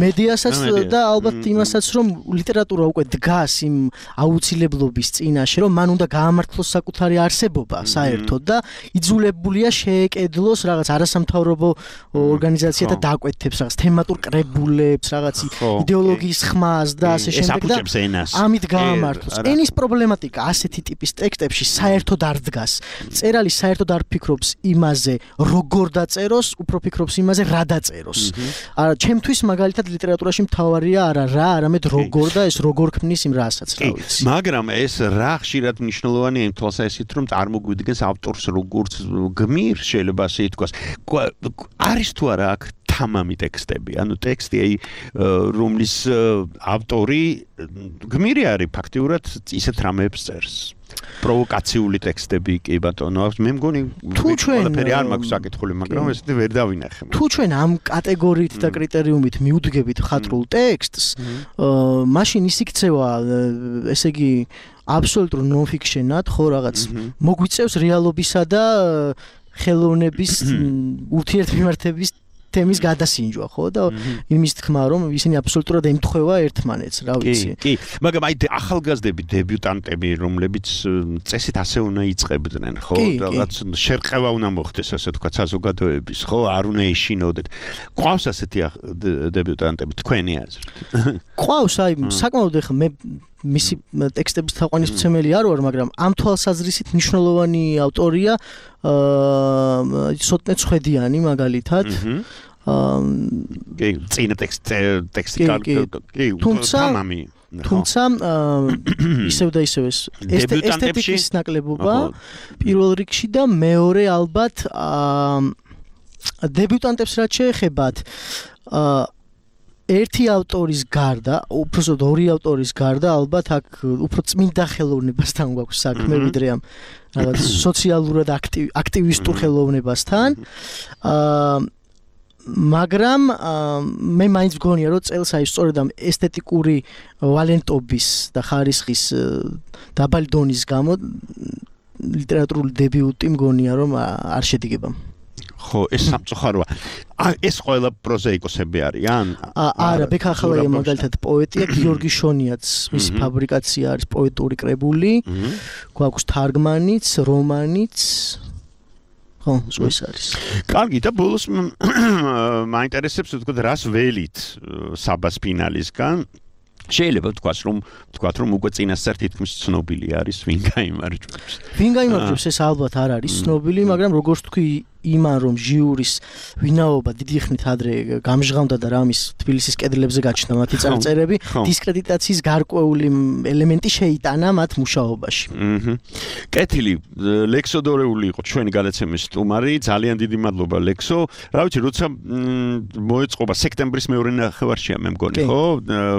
მედიასაც და ალბათ იმასაც, რომ ლიტერატურა უკვე დგას იმ აუცილებლობის წინაშე, რომ მან უნდა გაამართლოს საკუთარი არსებობა საერთოდ და იძულებულია შეეკედლოს რაღაც არასამთავრობო ორგანიზაციათა დაკვეთებს, რაღაც თემატურ კრებულებს, რაღაც იდეოლოგიის ხმას და ასე შემდეგ და ამით გაამართლოს. ენის პრობლემატიკა ასეთი ტიპის ტექსტებში საერთოდ არ დგას. წერალი საერთოდ არ ფიქრობს იმაზე, როგორ დაწეროს, უფრო ფიქრობს იმაზე, რა დაწეროს. არა, ჩემთვის მაგალითად ლიტერატურაში მთავარია არა რა, არამედ როგორ და ეს როგორ ქმნის იმ რასაც, რა ვიცი. მაგრამ ეს რა ხშირად მნიშვნელოვანია იმ თვალსაზრისით, რომ წარმოგვიდგენს ავტორს როგორც გმირს, შეიძლება ასე ითქვას. არის თუ არა აქ თამამი ტექსტები, ანუ ტექსტი, აი, რომლის ავტორი გმირი არის ფაქტიურად ისეთ რამეებს წერს. პროვოკაციული ტექსტები კი ბატონო აქვს. მე მგონი თუ ჩვენ ყველაფერი არ მაქვს საკითხული, მაგრამ ესეთი ვერ დავინახე. თუ ჩვენ ამ კატეგორიით და კრიტერიუმით მივდგებით მხატვრულ ტექსტს, მაშინ ის იქცევა, ესე იგი, აბსოლუტურ ნონ-ფიქშენად, ხო, რაღაც მოგვიწევს რეალობისა და ხელოვნების ურთიერთმიმართების თემის გადასინჯვა, ხო და იმის თქმა, რომ ისინი აბსოლუტურად ემთხვევა ერთმანეთს, რა ვიცი. კი, მაგრამ აი ახალგაზრდები, დებიუტანტები, რომლებიც წესით ასე უნდა იწყებდნენ, ხო, რაღაც შერყევა უნდა მოხდეს, ასე თქვა, საზოგადოების, ხო, არ უნდა ეშინოდეთ. ყავს ასეთი დებიუტანტები თქვენი აზრით? ყავს, აი, საკმაოდ ახლა მე მისი ტექსტების თაყვანისმცემელი არ ვარ, მაგრამ ამ თვალსაზრისით მნიშვნელოვანი ავტორია აა სოტნე ცხვედიანი მაგალითად. აა კი, წინა ტექსტი ტექსტი კი, თამამი. თუმცა ისევ და ისევ ეს ესთეტიკის ნაკლებობა პირველ რიგში და მეორე ალბათ დებიუტანტებს რაც შეეხებათ აა ერთი ავტორის გარდა, უბრალოდ ორი ავტორის გარდა, ალბათ აქ უფრო წმინდა ხელოვნებასთან გვაქვს საქმე, ვიდრე ამ რაღაც სოციალურად აქტივისტურ ხელოვნებასთან. აა მაგრამ მე მაინც მგონია, რომ წელს აი სწორედ ამ ესთეტიკური ვალენტობის და ხარისხის დაბალი დონის გამო ლიტერატურული დებიუტი მგონია, რომ არ შედგება. ხო, ეს სამწუხაროა. ეს ყველა პროზაიკოსები არიან? არა, ბექა ახალაია მაგალითად პოეტია, გიორგი შონიაც, მისი ფაბრიკაცია არის პოეტური კრებული, გვაქვს თარგმანიც, რომანიც. ხო, ეს არის. კარგი და ბოლოს მაინტერესებს თქო რას ველით საბას ფინალისგან შეიძლება თქვას რომ თქვათ რომ უკვე წინასწარ თითქმის ცნობილი არის ვინ გაიმარჯვებს. ვინ გაიმარჯვებს ეს ალბათ არ არის ცნობილი, მაგრამ როგორც თქვი იმან რომ ჟიურის ვინაობა დიდი ხნით ადრე გამჟღავნდა და რამის თბილისის კედლებზე გაჩნდა მათი წარწერები, დისკრედიტაციის გარკვეული ელემენტი შეიტანა მათ მუშაობაში. აჰა. კეთილი, ლექსო დორეული იყო ჩვენი გადაცემის სტუმარი, ძალიან დიდი მადლობა ლექსო. რა ვიცი, როცა მოეწყობა სექტემბრის მეორე ნახევარშია მე მგონი, ხო?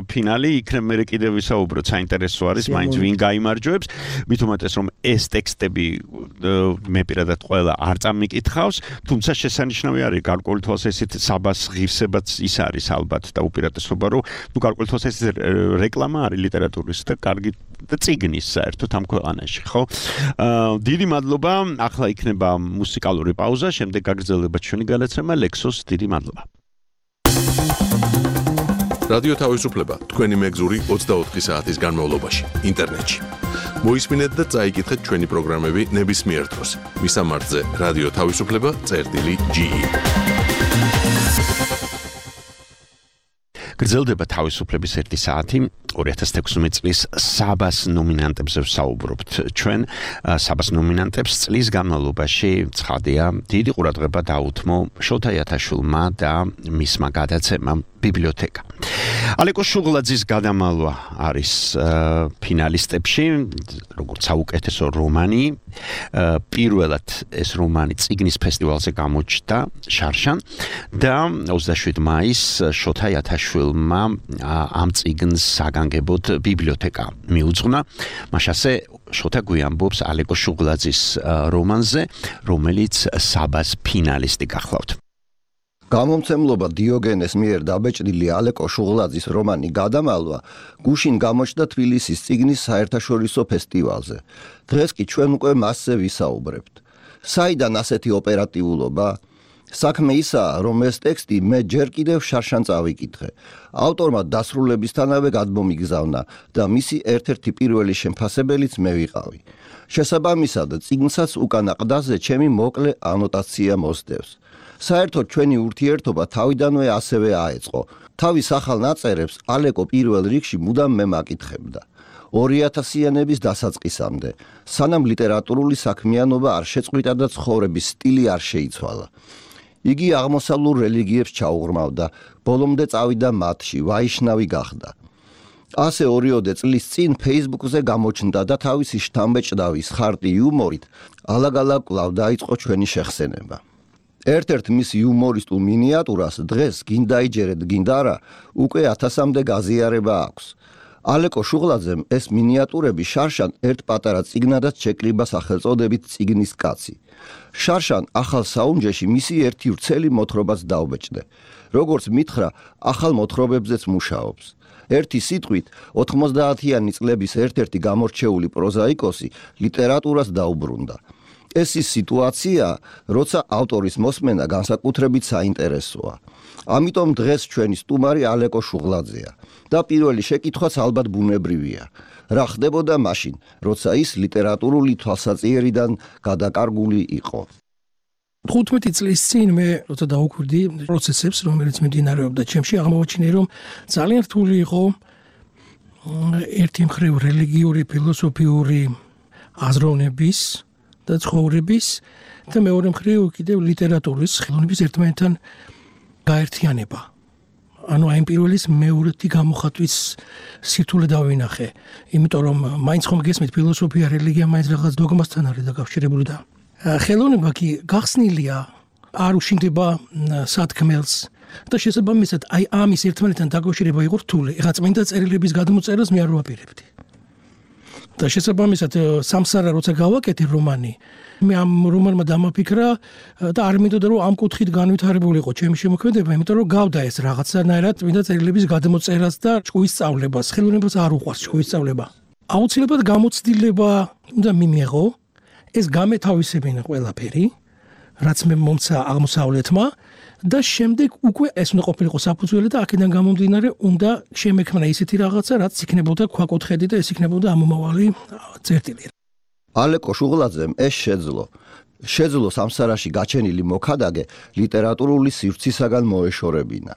ფინალი, იქნებ მე კიდევ ვისაუბროთ, საინტერესო არის, მაინც ვინ გაიმარჯვებს. მით უმეტეს რომ ეს ტექსტები მე პირადად ყველა არ წამიკითხავს, თუმცა შესანიშნავი არის გარკვეული თვალსაზრისით საბას ღირსებაც ის არის ალბათ და უპირატესობა რომ ნუ გარკვეული თვალსაზრისით რეკლამა არის ლიტერატურის და კარგი და წიგნის საერთოდ ამ ქვეყანაში, ხო? დიდი მადლობა, ახლა იქნება მუსიკალური პაუზა, შემდეგ გაგრძელდება ჩვენი გადაცემა ლექსოს დიდი მადლობა. რადიო თავისუფლება თქვენი მეგზური ოცდაოთხი საათის განმავლობაში ინტერნეტში. მოისმინეთ და წაიკითხეთ ჩვენი პროგრამები ნებისმიერ დროს. მისამართზე რადიო თავისუფლება წერტილი ჯი ი. გრძელდება თავისუფლების ერთი საათი ორი ათას თექვსმეტ წლის საბას ნომინანტებზე ვსაუბრობთ ჩვენ საბას ნომინანტებს წლის განმავლობაში ცხადია დიდი ყურადღება დაუთმო შოთა იათაშვილმა და მისმა გადაცემამ ბიბლიოთეკა. ალეკო შუღლაძის გადამალვა არის ფინალისტებში, როგორც საუკეთესო რომანი. პირველად ეს რომანი წიგნის ფესტივალზე გამოჩნდა შარშან და ოცდაშვიდი მაისს შოთა იათაშვილმა ამ წიგნს საგანგებოდ ბიბლიოთეკა მიუძღვნა. მაშასე შოთა გვიამბობს ალეკო შუღლაძის რომანზე, რომელიც საბას ფინალისტი გახლავთ. გამომცემლობა დიოგენეს მიერ დაბეჭდილი ალეკო შუღლაძის რომანი გადამალვა გუშინ გამოჩნდა თბილისის წიგნის საერთაშორისო ფესტივალზე. დღეს კი ჩვენ უკვე მასზე ვისაუბრებთ. საიდან ასეთი ოპერატიულობა? საქმე ისაა, რომ ეს ტექსტი მე ჯერ კიდევ შარშან წავიკითხე. ავტორმა დასრულებისთანავე გადმომიგზავნა და მისი ერთ-ერთი პირველი შემფასებელიც მე ვიყავი. შესაბამისად, წიგნსაც უკანა ყდაზე ჩემი მოკლე ანოტაცია მოსდევს. საერთოდ ჩვენი ურთიერთობა თავიდანვე ასევე აეწყო. თავის ახალ ნაწერებს ალეკო პირველ რიგში მუდამ მე მაკითხებდა. ორი ათასიანების დასაწყისამდე, სანამ ლიტერატურული საქმიანობა არ შეწყვიტა და ცხოვრების სტილი არ შეიცვალა. იგი აღმოსავლურ რელიგიებს ჩაუღრმავდა, ბოლომდე წავიდა მათში, ვაიშნავი გახდა. ასე ორიოდე წლის წინ Facebook-ზე გამოჩნდა და თავისი შთამბეჭდავის ხარტი იუმორით ალაგ-ალაგ კვლავ დაიწყო ჩვენი შეხსენება. ერთ-ერთ მის იუმორისტულ მინიატურას დღეს გინდა იჯერეთ, გინდა არა, უკვე ათასამდე გაზიარება აქვს. ალეკო შუღლაძემ ეს მინიატურები შარშან ერთ პატარა წიგნადაც შეკრიბა სახელწოდებით წიგნის კაცი. შარშან ახალ საუნჯეში მისი ერთი ვრცელი მოთხრობაც დაუბეჭდე. როგორც მითხრა, ახალ მოთხრობებზეც მუშაობს. ერთი სიტყვით, ოთხმოცდაათიანი წლების ერთ-ერთი გამორჩეული პროზაიკოსი ლიტერატურას დაუბრუნდა. ეს ის სიტუაცია, როცა ავტორის მოსმენა განსაკუთრებით საინტერესოა. ამიტომ დღეს ჩვენი სტუმარი ალეკო შუღლაძეა და პირველი შეკითხვაც ალბათ ბუნებრივია. რა ხდებოდა მაშინ, როცა ის ლიტერატურული თვალსაჩინარიდან გადაკარგული იყო? თხუთმეტი წლის წინ მე როცა დაუკვირდი პროცესებს, რომელიც მიმდინარეობდა ჩემში, აღმოვაჩინე, რომ ძალიან რთული იყო ერთი მხრივ რელიგიური, ფილოსოფიური აზროვნების და ცხოვრების და მეორე მხრივ კიდევ ლიტერატურის ხელოვნების ერთმანეთთან გაერთიანება. ანუ აი პირველის მეორეთი გამოხატვის სირთულე დავინახე, იმიტომ რომ მაინც ხომ გესმით ფილოსოფია, რელიგია მაინც რაღაც დოგმასთან არის დაკავშირებული და ხელოვნება კი გახსნილია, არ უშინდება სათქმელს და შესაბამისად აი ამის ერთმანეთთან დაკავშირება იყო რთული. ეხლა წმინდა წერილების გადმოწერას მე არ ვაპირებდი. და შესაბამისად სამსარა როცა გავაკეთე რომანი, მე ამ რომანმა დამაფიქრა და არ მინდოდა რომ ამ კუთხით განვითარებულიყო ჩემი შემოქმედება, იმიტომ რომ გავდა ეს რაღაცანაირად წმინდა წერილების გადმოწერას და ჭკუის სწავლებას. ხელოვნებას არ უყვარს ჭკუის სწავლება. აუცილებლად გამოცდილება უნდა მიმეღო, ეს გამეთავისებინა ყველაფერი, რაც მე მომცა აღმოსავლეთმა და შემდეგ უკვე ეს უნდა ყოფილიყო საფუძველი და აქედან გამომდინარე უნდა შემექმნა ისეთი რაღაცა, რაც იქნებოდა ქვაკუთხედი და ეს იქნებოდა ამომავალი წერტილი. ალეკო შუღლაძემ ეს შეძლო. შეძლო სამსარაში გაჩენილი მოქადაგე ლიტერატურული სივრცისაგან მოეშორებინა.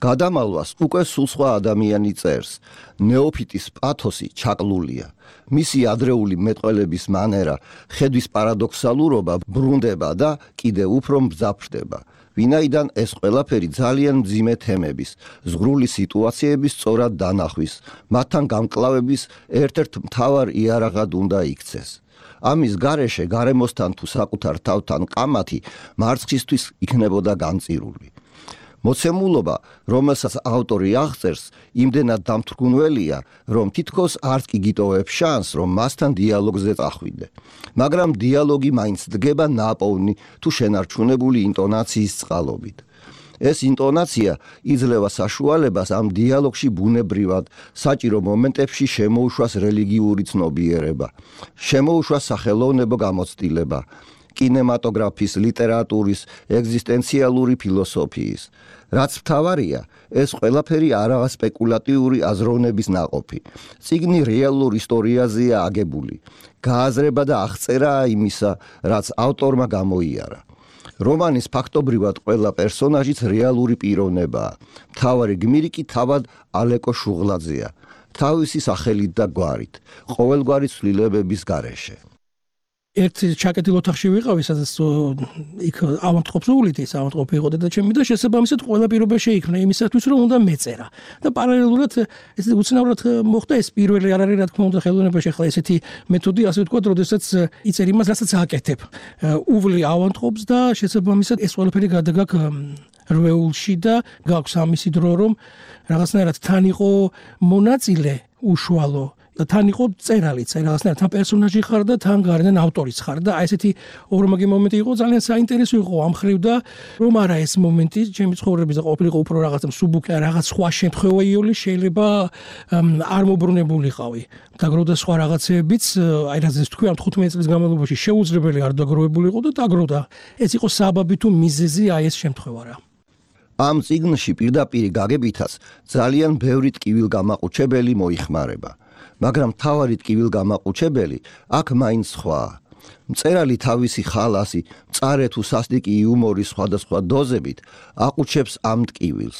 გადამალვას უკვე სულ სხვა ადამიანი წერს. ნეოფიტის პათოსი ჩაკლულია. მისი ადრეული მეტყველების მანერა, ხედვის პარადოქსალურობა ბრუნდება და კიდევ უფრო მძაფრდება. ვინაიდან ეს ყველაფერი ძალიან მძიმე თემების, ზღვრული სიტუაციების სწორად დანახვის, მათთან გამკლავების ერთ-ერთ მთავარ იარაღად უნდა იქცეს. ამის გარეშე გარემოსთან თუ საკუთარ თავთან ყამათი მარცხისთვის იქნებოდა განწირული. მოცემულობა, რომელსაც ავტორი აღწერს, იმდენად დამთრგუნველია, რომ თითქოს არც კი გიტოვებს შანსს, რომ მასთან დიალოგზე წახვიდე. მაგრამ დიალოგი მაინც დგება ნაპოვნი თუ შენარჩუნებული ინტონაციის წყალობით. ეს ინტონაცია იძლევა საშუალებას ამ დიალოგში ბუნებრივად, საჭირო მომენტებში შემოუშვას რელიგიური ცნობიერება, შემოუშვას სახელოვნებო გამოცდილება, კინემატოგრაფის, ლიტერატურის, ეგზისტენციალური ფილოსოფიის. რაც მთავარია, ეს ყველაფერი არაა სპეკულატიური აზროვნების ნაყოფი. წიგნი რეალურ ისტორიაზეა აგებული. გააზრება და აღწერაა იმისა, რაც ავტორმა გამოიარა. რომანის ფაქტობრივად ყველა პერსონაჟიც რეალური პიროვნებაა. მთავარი გმირი კი თავად ალეკო შუღლაძეა, თავისი სახელით და გვარით, ყოველგვარი ცვლილებების გარეშე. ერთ ჩაკეტილ ოთახში ვიყავი, სადაც იქ ავადმყოფს უვლიდი, ავადმყოფი იყო და ჩემი და შესაბამისად ყველა პირობა შეიქმნა იმისათვის, რომ უნდა მეწერა. და პარალელურად ეს უცნაურად მოხდა ეს პირველი არ არის რა თქმა უნდა ხელოვნებაში ახლა ესეთი მეთოდი, ასე ვთქვათ, როდესაც იწერ იმას, რასაც აკეთებ. უვლი ავადმყოფს და შესაბამისად ეს ყველაფერი გადაგაკ რვეულში და გაქვს ამისი დრო, რომ რაღაცნაირად თან იყო მონაწილე უშუალო და თან იყო წერალიც, რაღაცნაირად თან პერსონაჟი ხარ და თან გარედან ავტორიც ხარ და აი ესეთი ორმაგი მომენტი იყო, ძალიან საინტერესო იყო ამ ხრივ და რომ არა ეს მომენტი ჩემი ცხოვრების და ყოფილიყო უფრო რაღაცა მსუბუქი, რაღაც სხვა შემთხვევა იული შეიძლება არ მობრუნებულიყავი. დაგროვდა სხვა რაღაცეებიც, აი რაზეც თქვი ამ თხუთმეტი წლის განმავლობაში შეუძლებელი არ დაგროვებულიყო და დაგროვდა. ეს იყო საბაბი თუ მიზეზი აი ეს შემთხვევა რა. ამ წიგნში პირდაპირ გაგებითაც ძალიან ბევრი ტკივილგამაყუჩებელი მოიხმარება. მაგრამ თავარი ტკივილგამაყუჩებელი აქ მაინც სხვაა. მწერალი თავისი ხალასი, მწარე თუ სასტიკი იუმორის სხვადასხვა დოზებით აყუჩებს ამ ტკივილს.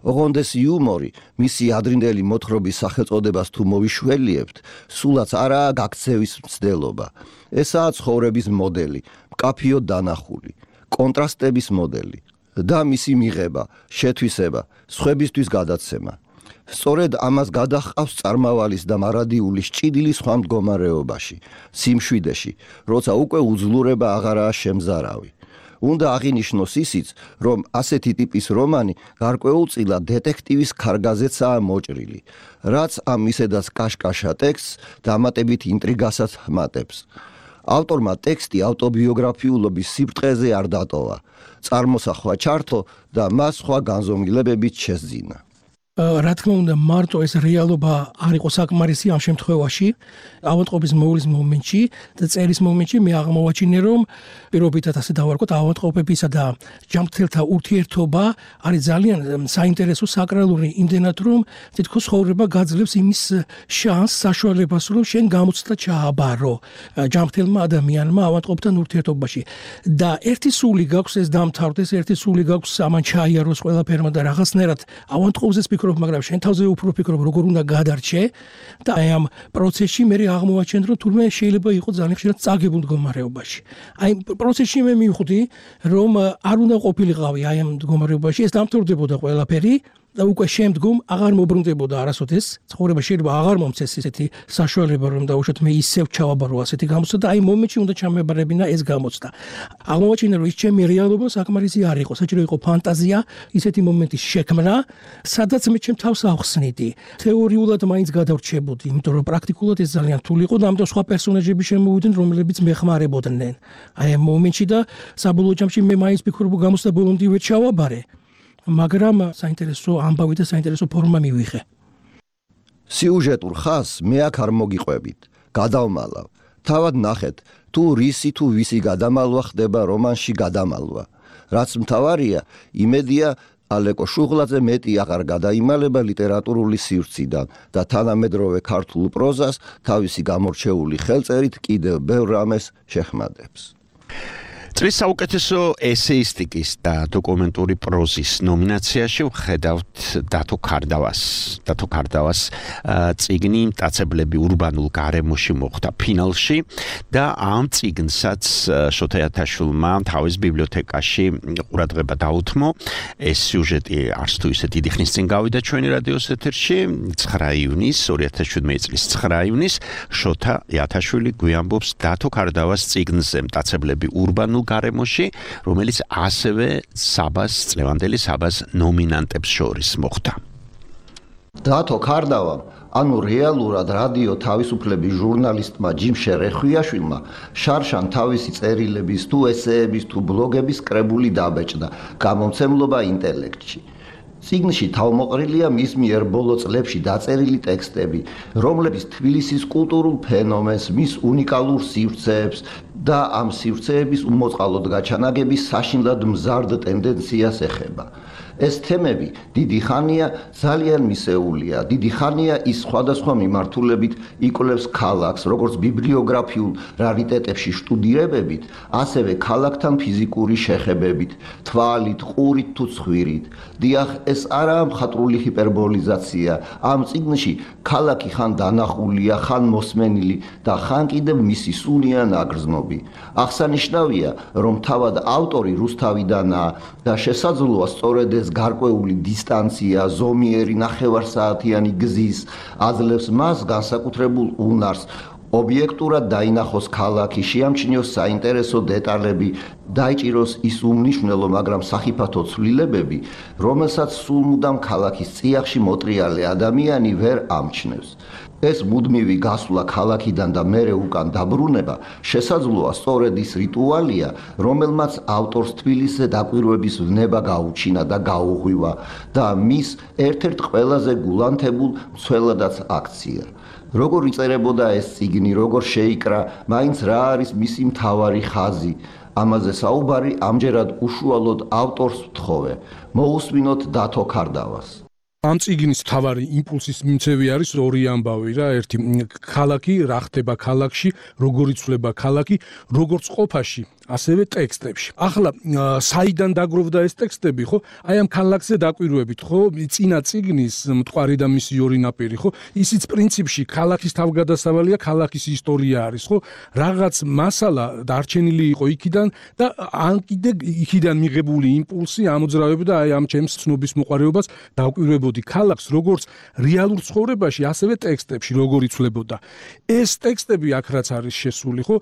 ოღონდ ეს იუმორი მისი ადრინდელი მოთხრობის სახელწოდებას თუ მოვიშველიებთ, სულაც არაა გაქცევის მცდელობა. ესაა ცხოვრების მოდელი, მკაფიოდ დანახული, კონტრასტების მოდელი და მისი მიღება, შეთვისება, სხვებისთვის გადაცემა. სწორედ ამას გადაჰყავს წარმავალის და მარადიულის ჭიდილის სხვა მდგომარეობაში, სიმშვიდეში, როცა უკვე უძლურება აღარაა შემზარავი. უნდა აღინიშნოს ისიც, რომ ასეთი ტიპის რომანი გარკვეულწილად დეტექტივის ქარგაზეცაა მოჭრილი, რაც ამ ისედაც კაშკაშა ტექსტს დამატებით ინტრიგასაც ჰმატებს. ავტორმა ტექსტი ავტობიოგრაფიულობის სიბრტყეზე არ დატოვა, წარმოსახვა ჩართო და მას სხვა განზომილებებით შესძინა. რა თქმა უნდა, მარტო ეს რეალობა არ იყო საკმარისი ამ შემთხვევაში, ავადმყოფის მოვლის მომენტში და წერის მომენტში მე აღმოვაჩინე, რომ პირობითად ასე დავარქოთ, ავადმყოფებისა და ჯამრთელთა ურთიერთობა არის ძალიან საინტერესო საკრალური, იმდენად რომ თითქოს ცხოვრება გაძლევს იმის შანსს, საშუალებას, რომ შენ გამოცდა ჩააბარო ჯამრთელმა ადამიანმა ავადმყოფთან ურთიერთობაში. და ერთი სული გაქვს ეს დამთავრდეს, ერთი სული გაქვს ამან ჩაიაროს ყველაფერმა და რაღაცნაირად ავადმყოფზე მაგრამ შენ თავზე უფრო ფიქრობ, როგორ უნდა გადარჩე და აი ამ პროცესში მე აღმოვაჩენთ, რომ თურმე შეიძლება იყოს ძალიან ხშირად წაგებულ მდგომარეობაში. აი პროცესში მე მივხვდი, რომ არ უნდა ყოფილიყავი აი ამ მდგომარეობაში, ეს დამთავრდებოდა ყველაფერი და უკვე შემდგომ აღარ მობრუნდებოდა არასოდეს. ცხოვრება შეიძლება აღარ მომცეს ესეთი საშუალება, რომ დაუშვათ მე ისევ ჩავაბარო ასეთი გამოცდა და აი მომენტში უნდა ჩამებარებინა ეს გამოცდა. აღმოვაჩინე, რომ ის ჩემი რეალობა საკმარისი არ იყო, საჭირო იყო ფანტაზია, ისეთი მომენტის შექმნა, სადაც მე ჩემ თავს ავხსნიდი. თეორიულად მაინც გადავრჩებოდი, იმიტომ რომ პრაქტიკულად ეს ძალიან რთული იყო და ამიტომ სხვა პერსონაჟები შემოვიდნენ, რომლებიც მეხმარებოდნენ. აი ამ მომენტში და საბოლოო ჯამში მე მაინც ვფიქრობ, გამოცდა ბოლომდე ვერ ჩავაბარე. მაგრამ საინტერესო ამბავი და საინტერესო ფორმა მივიღე. სიუჟეტურ ხაზს მე აქ არ მოგიყვებით. გადავმალავ. თავად ნახეთ, თუ რისი თუ ვისი გადამალვა ხდება რომანში გადამალვა. რაც მთავარია, იმედია ალეკო შუღლაძე მეტი აღარ გადაიმალება ლიტერატურული სივრციდან და თანამედროვე ქართულ პროზას თავისი გამორჩეული ხელწერით კიდევ ბევრ რამეს შეხმადებს. წლის საუკეთესო ესეისტიკის და დოკუმენტური პროზის ნომინაციაში ვხედავთ დათო ქარდავას. დათო ქარდავას წიგნი მტაცებლები ურბანულ გარემოში მოხვდა ფინალში და ამ წიგნსაც შოთა იათაშვილმა თავის ბიბლიოთეკაში ყურადღება დაუთმო. ეს სიუჟეტი არც თუ ისე დიდი ხნის წინ გავიდა ჩვენი რადიოს ეთერში ცხრა ივნის ორი ათას შვიდმეტი წლის ცხრა ივნის შოთა იათაშვილი გვიამბობს დათო ქარდავას წიგნზე მტაცებლები ურბანულ გარემოში, რომელიც ასევე საბას წლევანდელი საბას ნომინანტებს შორის მოხვდა. დათო ქარდავამ, ანუ რეალურად რადიო თავისუფლების ჟურნალისტმა ჯიმ შერეხვიაშვილმა შარშან თავისი წერილების თუ ესეების თუ ბლოგების კრებული დაბეჭდა გამომცემლობა ინტელექტში. წიგნში თავმოყრილია მის მიერ ბოლო წლებში დაწერილი ტექსტები, რომლებიც თბილისის კულტურულ ფენომენს, მის უნიკალურ სივრცეებს და ამ სივრცეების უმოწყალოდ გაჩანაგების საშინლად მზარდ ტენდენციას ეხება. ეს თემები დიდი ხანია ძალიან მისეულია, დიდი ხანია ის სხვადასხვა მიმართულებით იკვლევს ქალაქს, როგორც ბიბლიოგრაფიულ რარიტეტებში შტუდირებებით, ასევე ქალაქთან ფიზიკური შეხებებით, თვალით, ყურით თუ ცხვირით. დიახ, ეს არაა მხატვრული ჰიპერბოლიზაცია. ამ წიგნში ქალაქი ხან დანახულია, ხან მოსმენილი და ხან კიდევ მისი სუნია ნაგრძნობი. აღსანიშნავია, რომ თავად ავტორი რუსთავიდანაა და შესაძლოა სწორედ ეს გარკვეული დისტანცია, ზომიერი ნახევარსაათიანი გზის აძლევს მას განსაკუთრებულ უნარს, ობიექტურად დაინახოს ქალაქი, შეამჩნიოს საინტერესო დეტალები, დაიჭიროს ის უმნიშვნელო, მაგრამ სახიფათო ცვლილებები, რომელსაც სულ მუდამ ქალაქის წიაღში მოტრიალე ადამიანი ვერ ამჩნევს. ეს მუდმივი გასვლა ქალაქიდან და მერე უკან დაბრუნება შესაძლოა სწორედ ის რიტუალია, რომელმაც ავტორს თბილისზე დაკვირვების ვნება გაუჩინა და გაუღვივა და მის ერთ-ერთ ყველაზე გულანთებულ მცველადაც აქცია. როგორ იწერებოდა ეს წიგნი, როგორ შეიკრა, მაინც რა არის მისი მთავარი ხაზი, ამაზე საუბარი ამჯერად უშუალოდ ავტორს ვთხოვე. მოусმინოთ დათო ქარდავას. ამ წიგნის თავარი იმპულსის მიმცევი არის ორი ამბავი რა, ერთი ქალაქი რა ხდება ქალაქში, როგორ იცვლება ქალაქი, როგორც ყოფაში, ასევე ტექსტებში. ახლა საიდან დაგროვდა ეს ტექსტები, ხო? აი ამ ქალაქზე დაკვირვებით, ხო? წინა წიგნის მტყარი და მისი ორი ნაპირი, ხო? ისიც პრინციპში ქალაქის თავგადასავალია, ქალაქის ისტორია არის, ხო? რაღაც მასალა დარჩენილი იყო იქიდან და ან კიდე იქიდან მიღებული იმპულსი ამოძრავებდა აი ამ ჩემს ცნობის მოყარეობას დაკვირვებოდი ქალაქს, როგორც რეალურ ცხოვრებაში, ასევე ტექსტებში, როგორ იცვლებოდა. ეს ტექსტები აქ რაც არის შესული, ხო?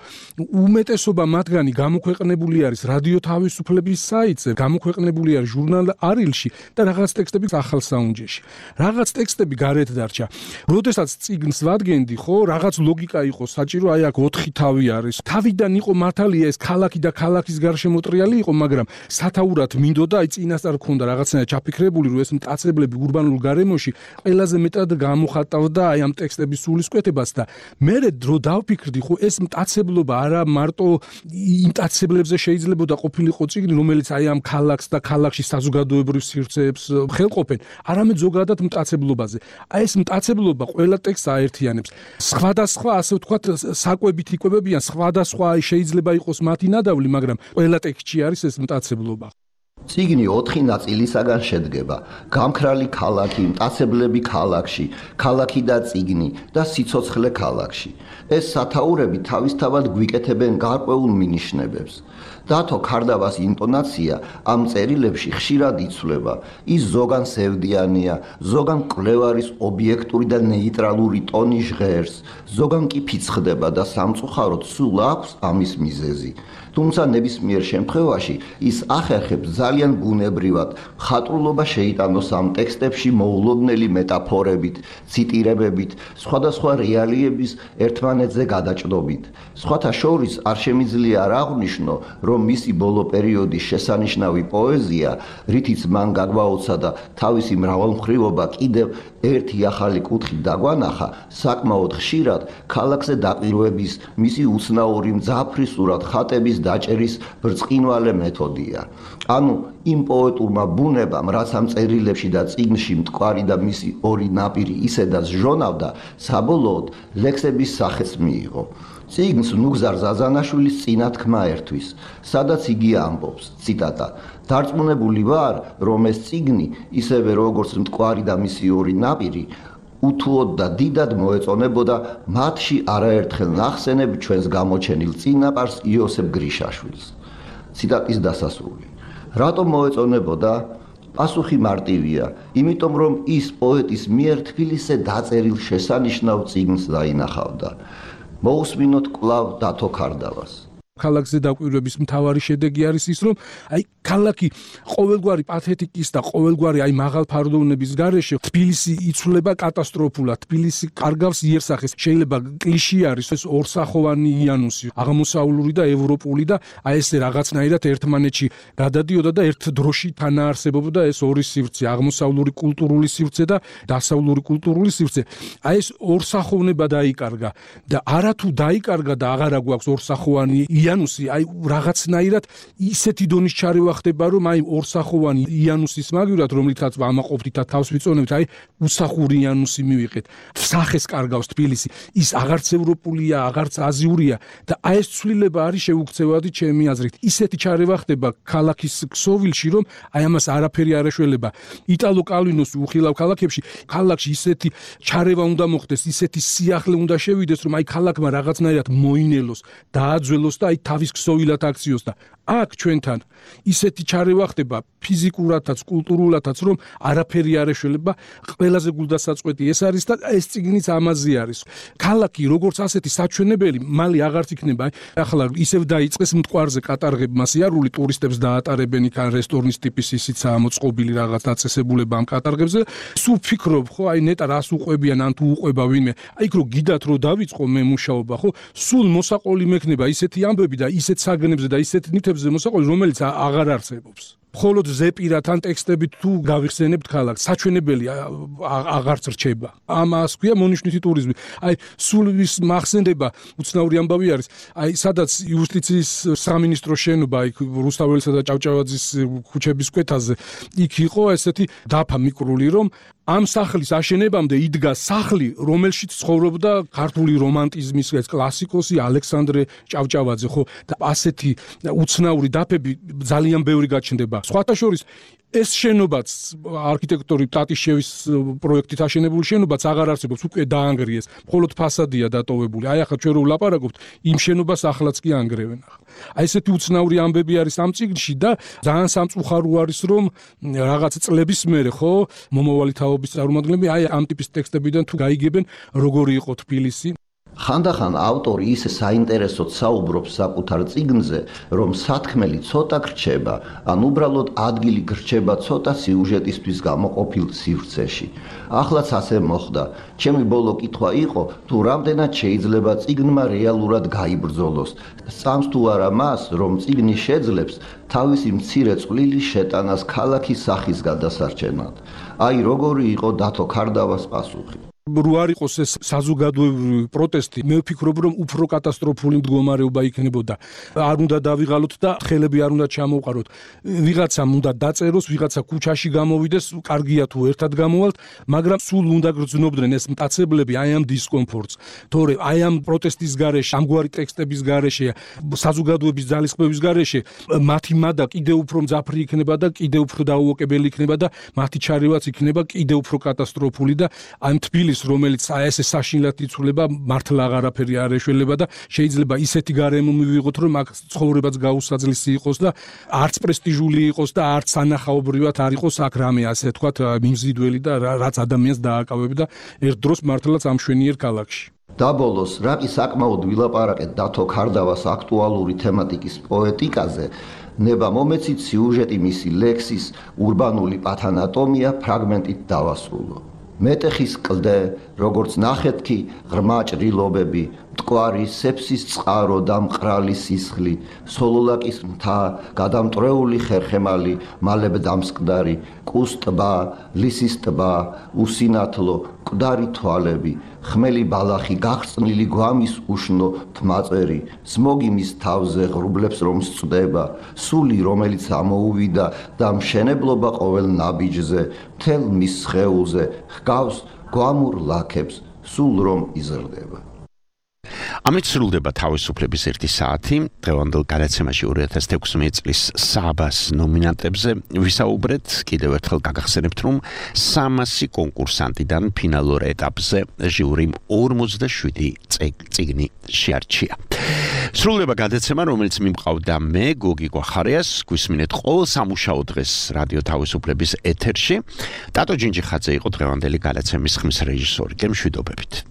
უმეტესობა მათგანი გამოქვეყნებული არის რადიო თავისუფლების საიტზე, გამოქვეყნებული არის ჟურნალ არილში და რაღაც ტექსტები ახალ საუნჯეში. რაღაც ტექსტები გარეთ დარჩა. როდესაც წიგნს ვადგენდი, ხო, რაღაც ლოგიკა იყო საჭირო, აი აქ ოთხი თავი არის. თავიდან იყო მართალია ეს ქალაქი და ქალაქის გარშემოტრიალი იყო, მაგრამ სათაურად მინდოდა, აი წინასწარ ქონდა რაღაცნაირად ჩაფიქრებული, რომ ეს მტაცებლები ურბანულ გარემოში ყველაზე მეტად გამოხატავდა აი ამ ტექსტების სულისკვეთებას და მე დრო დავფიქრდი, ხო, ეს მტაცებლობა არა მარტო მტაცებლებზე შეიძლებოდა ყოფილიყო წიგნი, რომელიც აი ამ ქალაქს და ქალაქში საზოგადოებრივ სივრცეებს ხელყოფენ, არამედ ზოგადად მტაცებლობაზე. აი ეს მტაცებლობა ყველა ტექსტს აერთიანებს. სხვადასხვა, ასე ვთქვათ, საკვებით იკვებებიან, სხვადასხვა შეიძლება იყოს მათი ნადავლი, მაგრამ ყველა ტექსტში არის ეს მტაცებლობა. წიგნი ოთხი ნაწილისაგან შედგება: გამქრალი ქალაქი, მტაცებლები ქალაქში, ქალაქი და წიგნი და სიცოცხლე ქალაქში. ეს სათაურები თავისთავად გვიკეთებენ გარკვეულ მინიშნებებს. დათო ქარდავას ინტონაცია ამ წერილებში ხშირად იცვლება. ის ზოგან სევდიანია, ზოგან კვლევარის ობიექტური და ნეიტრალური ტონი ჟღერს, ზოგან კი ფიცხდება და სამწუხაროდ სულ აქვს ამის მიზეზი. თუმცა ნებისმიერ შემთხვევაში ის ახერხებს ძალიან ბუნებრივად მხატვრულობა შეიტანოს ამ ტექსტებში მოულოდნელი მეტაფორებით, ციტირებებით, სხვადასხვა რეალიების ერთმანეთზე გადაჭრობით. სხვათა შორის არ შემიძლია არ აღვნიშნო, რომ მისი ბოლო პერიოდის შესანიშნავი პოეზია, რითიც მან გაგვაოცა და თავისი მრავალმხრივობა კიდევ ერთი ახალი კუთხით დაგვანახა, საკმაოდ ხშირად ქალაქზე დაკვირვების, მისი უცნაური მძაფრისურად ხატების დაჭერის ბრწყინვალე მეთოდია. ანუ იმ პოეტურმა ბუნებამ, რაც ამ წერილებში და წიგნში მტკვარი და მისი ორი ნაპირი ისედაც ჟონავდა, საბოლოოდ ლექსების სახეც მიიღო. წიგნს ნუგზარ ზაზანაშვილის წინათქმა ერთვის, სადაც იგი ამბობს, ციტატა: "დარწმუნებული ვარ, რომ ეს წიგნი, ისევე როგორც მტკვარი და მისი ორი ნაპირი, უთუოდ და დიდად მოეწონებოდა მათში არაერთხელ ნახსენებ ჩვენს გამოჩენილ წინაპარს იოსებ გრიშაშვილს." ციტატის დასასრული. რატომ მოეწონებოდა? პასუხი მარტივია, იმიტომ რომ ის პოეტის მიერ თბილისზე დაწერილ შესანიშნავ წიგნს დაინახავდა. მოусმინოთ კვლავ დათო ქარდავას. ქალაქზე დაკვირვების მთავარი შედეგი არის ის, რომ აი ქალაქი ყოველგვარი პათეტიკის და ყოველგვარი აი მაღალფარდოვნების გარეშე თბილისი იცვლება კატასტროფულად, თბილისი კარგავს იერსახეს. შეიძლება კლიშე არის ეს ორსახოვანი იანუსი, აღმოსავლური და ევროპული და აი ეს რაღაცნაირად ერთმანეთში გადადიოდა და ერთ დროში თანაარსებობდა ეს ორი სივრცე, აღმოსავლური კულტურული სივრცე და დასავლური კულტურული სივრცე. აი ეს ორსახოვნება დაიკარგა და არათუ დაიკარგა და აღარა გვაქვს ორსახოვანი იანუსი, აი რაღაცნაირად ისეთი დონის ჩარევა ხდება, რომ აი ორსახოვანი იანუსის მაგივრად, რომლითაც ამაყობდით და თავს ვიწონებთ, აი უსახური იანუსი მივიღეთ. სახეს კარგავს თბილისი, ის აღარც ევროპულია, აღარც აზიურია და აი ეს ცვლილება არის შეუქცევადი ჩემი აზრით. ისეთი ჩარევა ხდება ქალაქის ქსოვილში, რომ აი ამას არაფერი არ ეშველება. იტალო კალვინოს უხილავ ქალაქებში, ქალაქში ისეთი ჩარევა უნდა მოხდეს, ისეთი სიახლე უნდა შევიდეს, რომ აი ქალაქმა რაღაცნაირად მოინელოს, დააძველოს და აი თავის ქსოვილად აქციოს და აქ ჩვენთან ისეთი ჩარევა ხდება ფიზიკურათაც, კულტურულათაც, რომ არაფერი არ ეშველება. ყველაზე გულდასაწყვეტი ეს არის და ეს წიგნიც ამაზე არის. ქალაქი როგორც ასეთი საჩვენებელი მალე აღარც იქნება. ახლა ისევ დაიწყეს მტკვარზე კატარღებმა სიარული, ტურისტებს დაატარებენ იქ ან რესტორნის ტიპის ისიცაა მოწყობილი რაღაც დაწესებულება ამ კატარღებზე. სულ ფიქრობ, ხო, აი ნეტა რას უყვებიან ან თუ უყვება ვინმე. აი იქ რო გიდათ რო დავიწყო მე მუშაობა, ხო, სულ მოსაყოლი მექნება ისეთი ამბები და ისეთ საგნებზე და ისეთ ნივთებზე მოსაყოლი, რომელიც აღარ არსებობს. მხოლოდ ზეპირად ან ტექსტებით თუ გავიხსენებთ ქალაქს, საჩვენებელი აღარც რჩება. ამას ქვია მონიშნვითი ტურიზმი. აი სულ ის მახსენდება, უცნაური ამბავი არის. აი სადაც იუსტიციის სამინისტროს შენობა, იქ რუსთაველისა და ჭავჭავაძის ქუჩების კვეთაზე, იქ იყო ესეთი დაფა მიკრული, რომ ამ სახლის აშენებამდე იდგა სახლი, რომელშიც ცხოვრობდა ქართული რომანტიზმის ეს კლასიკოსი ალექსანდრე ჭავჭავაძე, ხო? და ასეთი უცნაური დაფები ძალიან ბევრი გაჩნდება. სხვათა შორის ეს შენობაც არქიტექტორი ტატიშევის პროექტით აშენებული შენობაც აღარ არსებობს, უკვე დაანგრიეს. მხოლოდ ფასადია დატოვებული. აი ახლა ჩვენ რო ვლაპარაკობთ, იმ შენობას ახლაც კი ანგრევენ ახლა. აი ესეთი უცნაური ამბები არის ამ წიგნში და ძალიან სამწუხარო არის, რომ რაღაც წლების მერე, ხო, მომავალი თაობის წარმომადგენლები აი ამ ტიპის ტექსტებიდან თუ გაიგებენ, როგორი იყო თბილისი. ხანდახან ავტორი ისე საინტერესოდ საუბრობს საკუთარ წიგნზე, რომ სათქმელი ცოტა გრჩება, ან უბრალოდ ადგილი გრჩება ცოტა სიუჟეტისთვის გამოყოფილ სივრცეში. ახლაც ასე მოხდა. ჩემი ბოლო კითხვა იყო, თუ რამდენად შეიძლება წიგნმა რეალურად გაიბრძოლოს. სწამს თუ არა მას, რომ წიგნი შეძლებს თავისი მცირე წვლილი შეტანას ქალაქის სახის გადასარჩენად. აი როგორი იყო დათო ქარდავას პასუხი. რო არ იყოს ეს საზოგადოებრივი პროტესტი, მე ვფიქრობ, რომ უფრო კატასტროფული მდგომარეობა იქნებოდა. არ უნდა დავიღალოთ და ხელები არ უნდა ჩამოვყაროთ. ვიღაცამ უნდა დაწეროს, ვიღაცა ქუჩაში გამოვიდეს, კარგია თუ ერთად გამოვალთ, მაგრამ სულ უნდა გრძნობდნენ ეს მტაცებლები აი ამ დისკომფორტს. თორე აი ამ პროტესტის გარეშე, ამგვარი ტექსტების გარეშე, საზოგადოების ძალისხმევის გარეშე, მათი მადა კიდევ უფრო მძაფრი იქნება და კიდევ უფრო დაუოკებელი იქნება და მათი ჩარევაც იქნება კიდევ უფრო კატასტროფული და ამ თბილის რომელიც აი ესე საშინლად იცვლება, მართლა აღარაფერი არ ეშველება და შეიძლება ისეთი გარემო მივიღოთ, რომ აქ ცხოვრებაც გაუსაძლისი იყოს და არც პრესტიჟული იყოს და არც ანახაობრივად არ იყოს აქ რამე ასე თქვათ მიმზიდველი და რაც ადამიანს დააკავებ და ერთ დროს მართლაც ამშვენიერ ქალაქში. დაბოლოს, რაკი საკმაოდ ვილაპარაკეთ დათო ქარდავას აქტუალური თემატიკის პოეტიკაზე, ნება მომეცით სიუჟეტი მისი ლექსის ურბანული პათანატომია ფრაგმენტით დავასრულო. მეტეხის კლდე, როგორც ნახეთქი ღრმა ჭრილობები, მტკვარი სეფსის წყარო და მყრალი სისხლი, სოლოლაკის მთა, გადამტრეული ხერხემალი, მალებ დამსკდარი, კუს ტბა, ლისის ტბა, უსინათლო, მკვდარი თვალები, ხმელი ბალახი, გახსნილი გვამის უშნო თმაწერი, სმოგი მის თავზე ღრუბლებს რომ სწდება, სული რომელიც ამოუვიდა და მშენებლობა ყოველ ნაბიჯზე, მთელ მის სხეულზე, ჰგავს გვამურ ლაქებს, სულ რომ იზრდება. ამით სრულდება თავისუფლების ერთი საათი. დღევანდელ გადაცემაში ორი ათას ექვსმეტი წლის საბას ნომინანტებზე ვისაუბრეთ. კიდევ ერთხელ გაგახსენებთ, რომ სამასი კონკურსანტიდან ფინალურ ეტაპზე ჟიურიმ ორმოცდაშვიდი წიგნი შეარჩია. სრულდება გადაცემა, რომელიც მიმყავდა მე, გოგი გვახარიას, გვისმინეთ ყოველ სამუშაო დღეს რადიო თავისუფლების ეთერში. ტატო ჯინჯიხაძე იყო დღევანდელი გადაცემის ხმის რეჟისორი. გემშვიდობებით.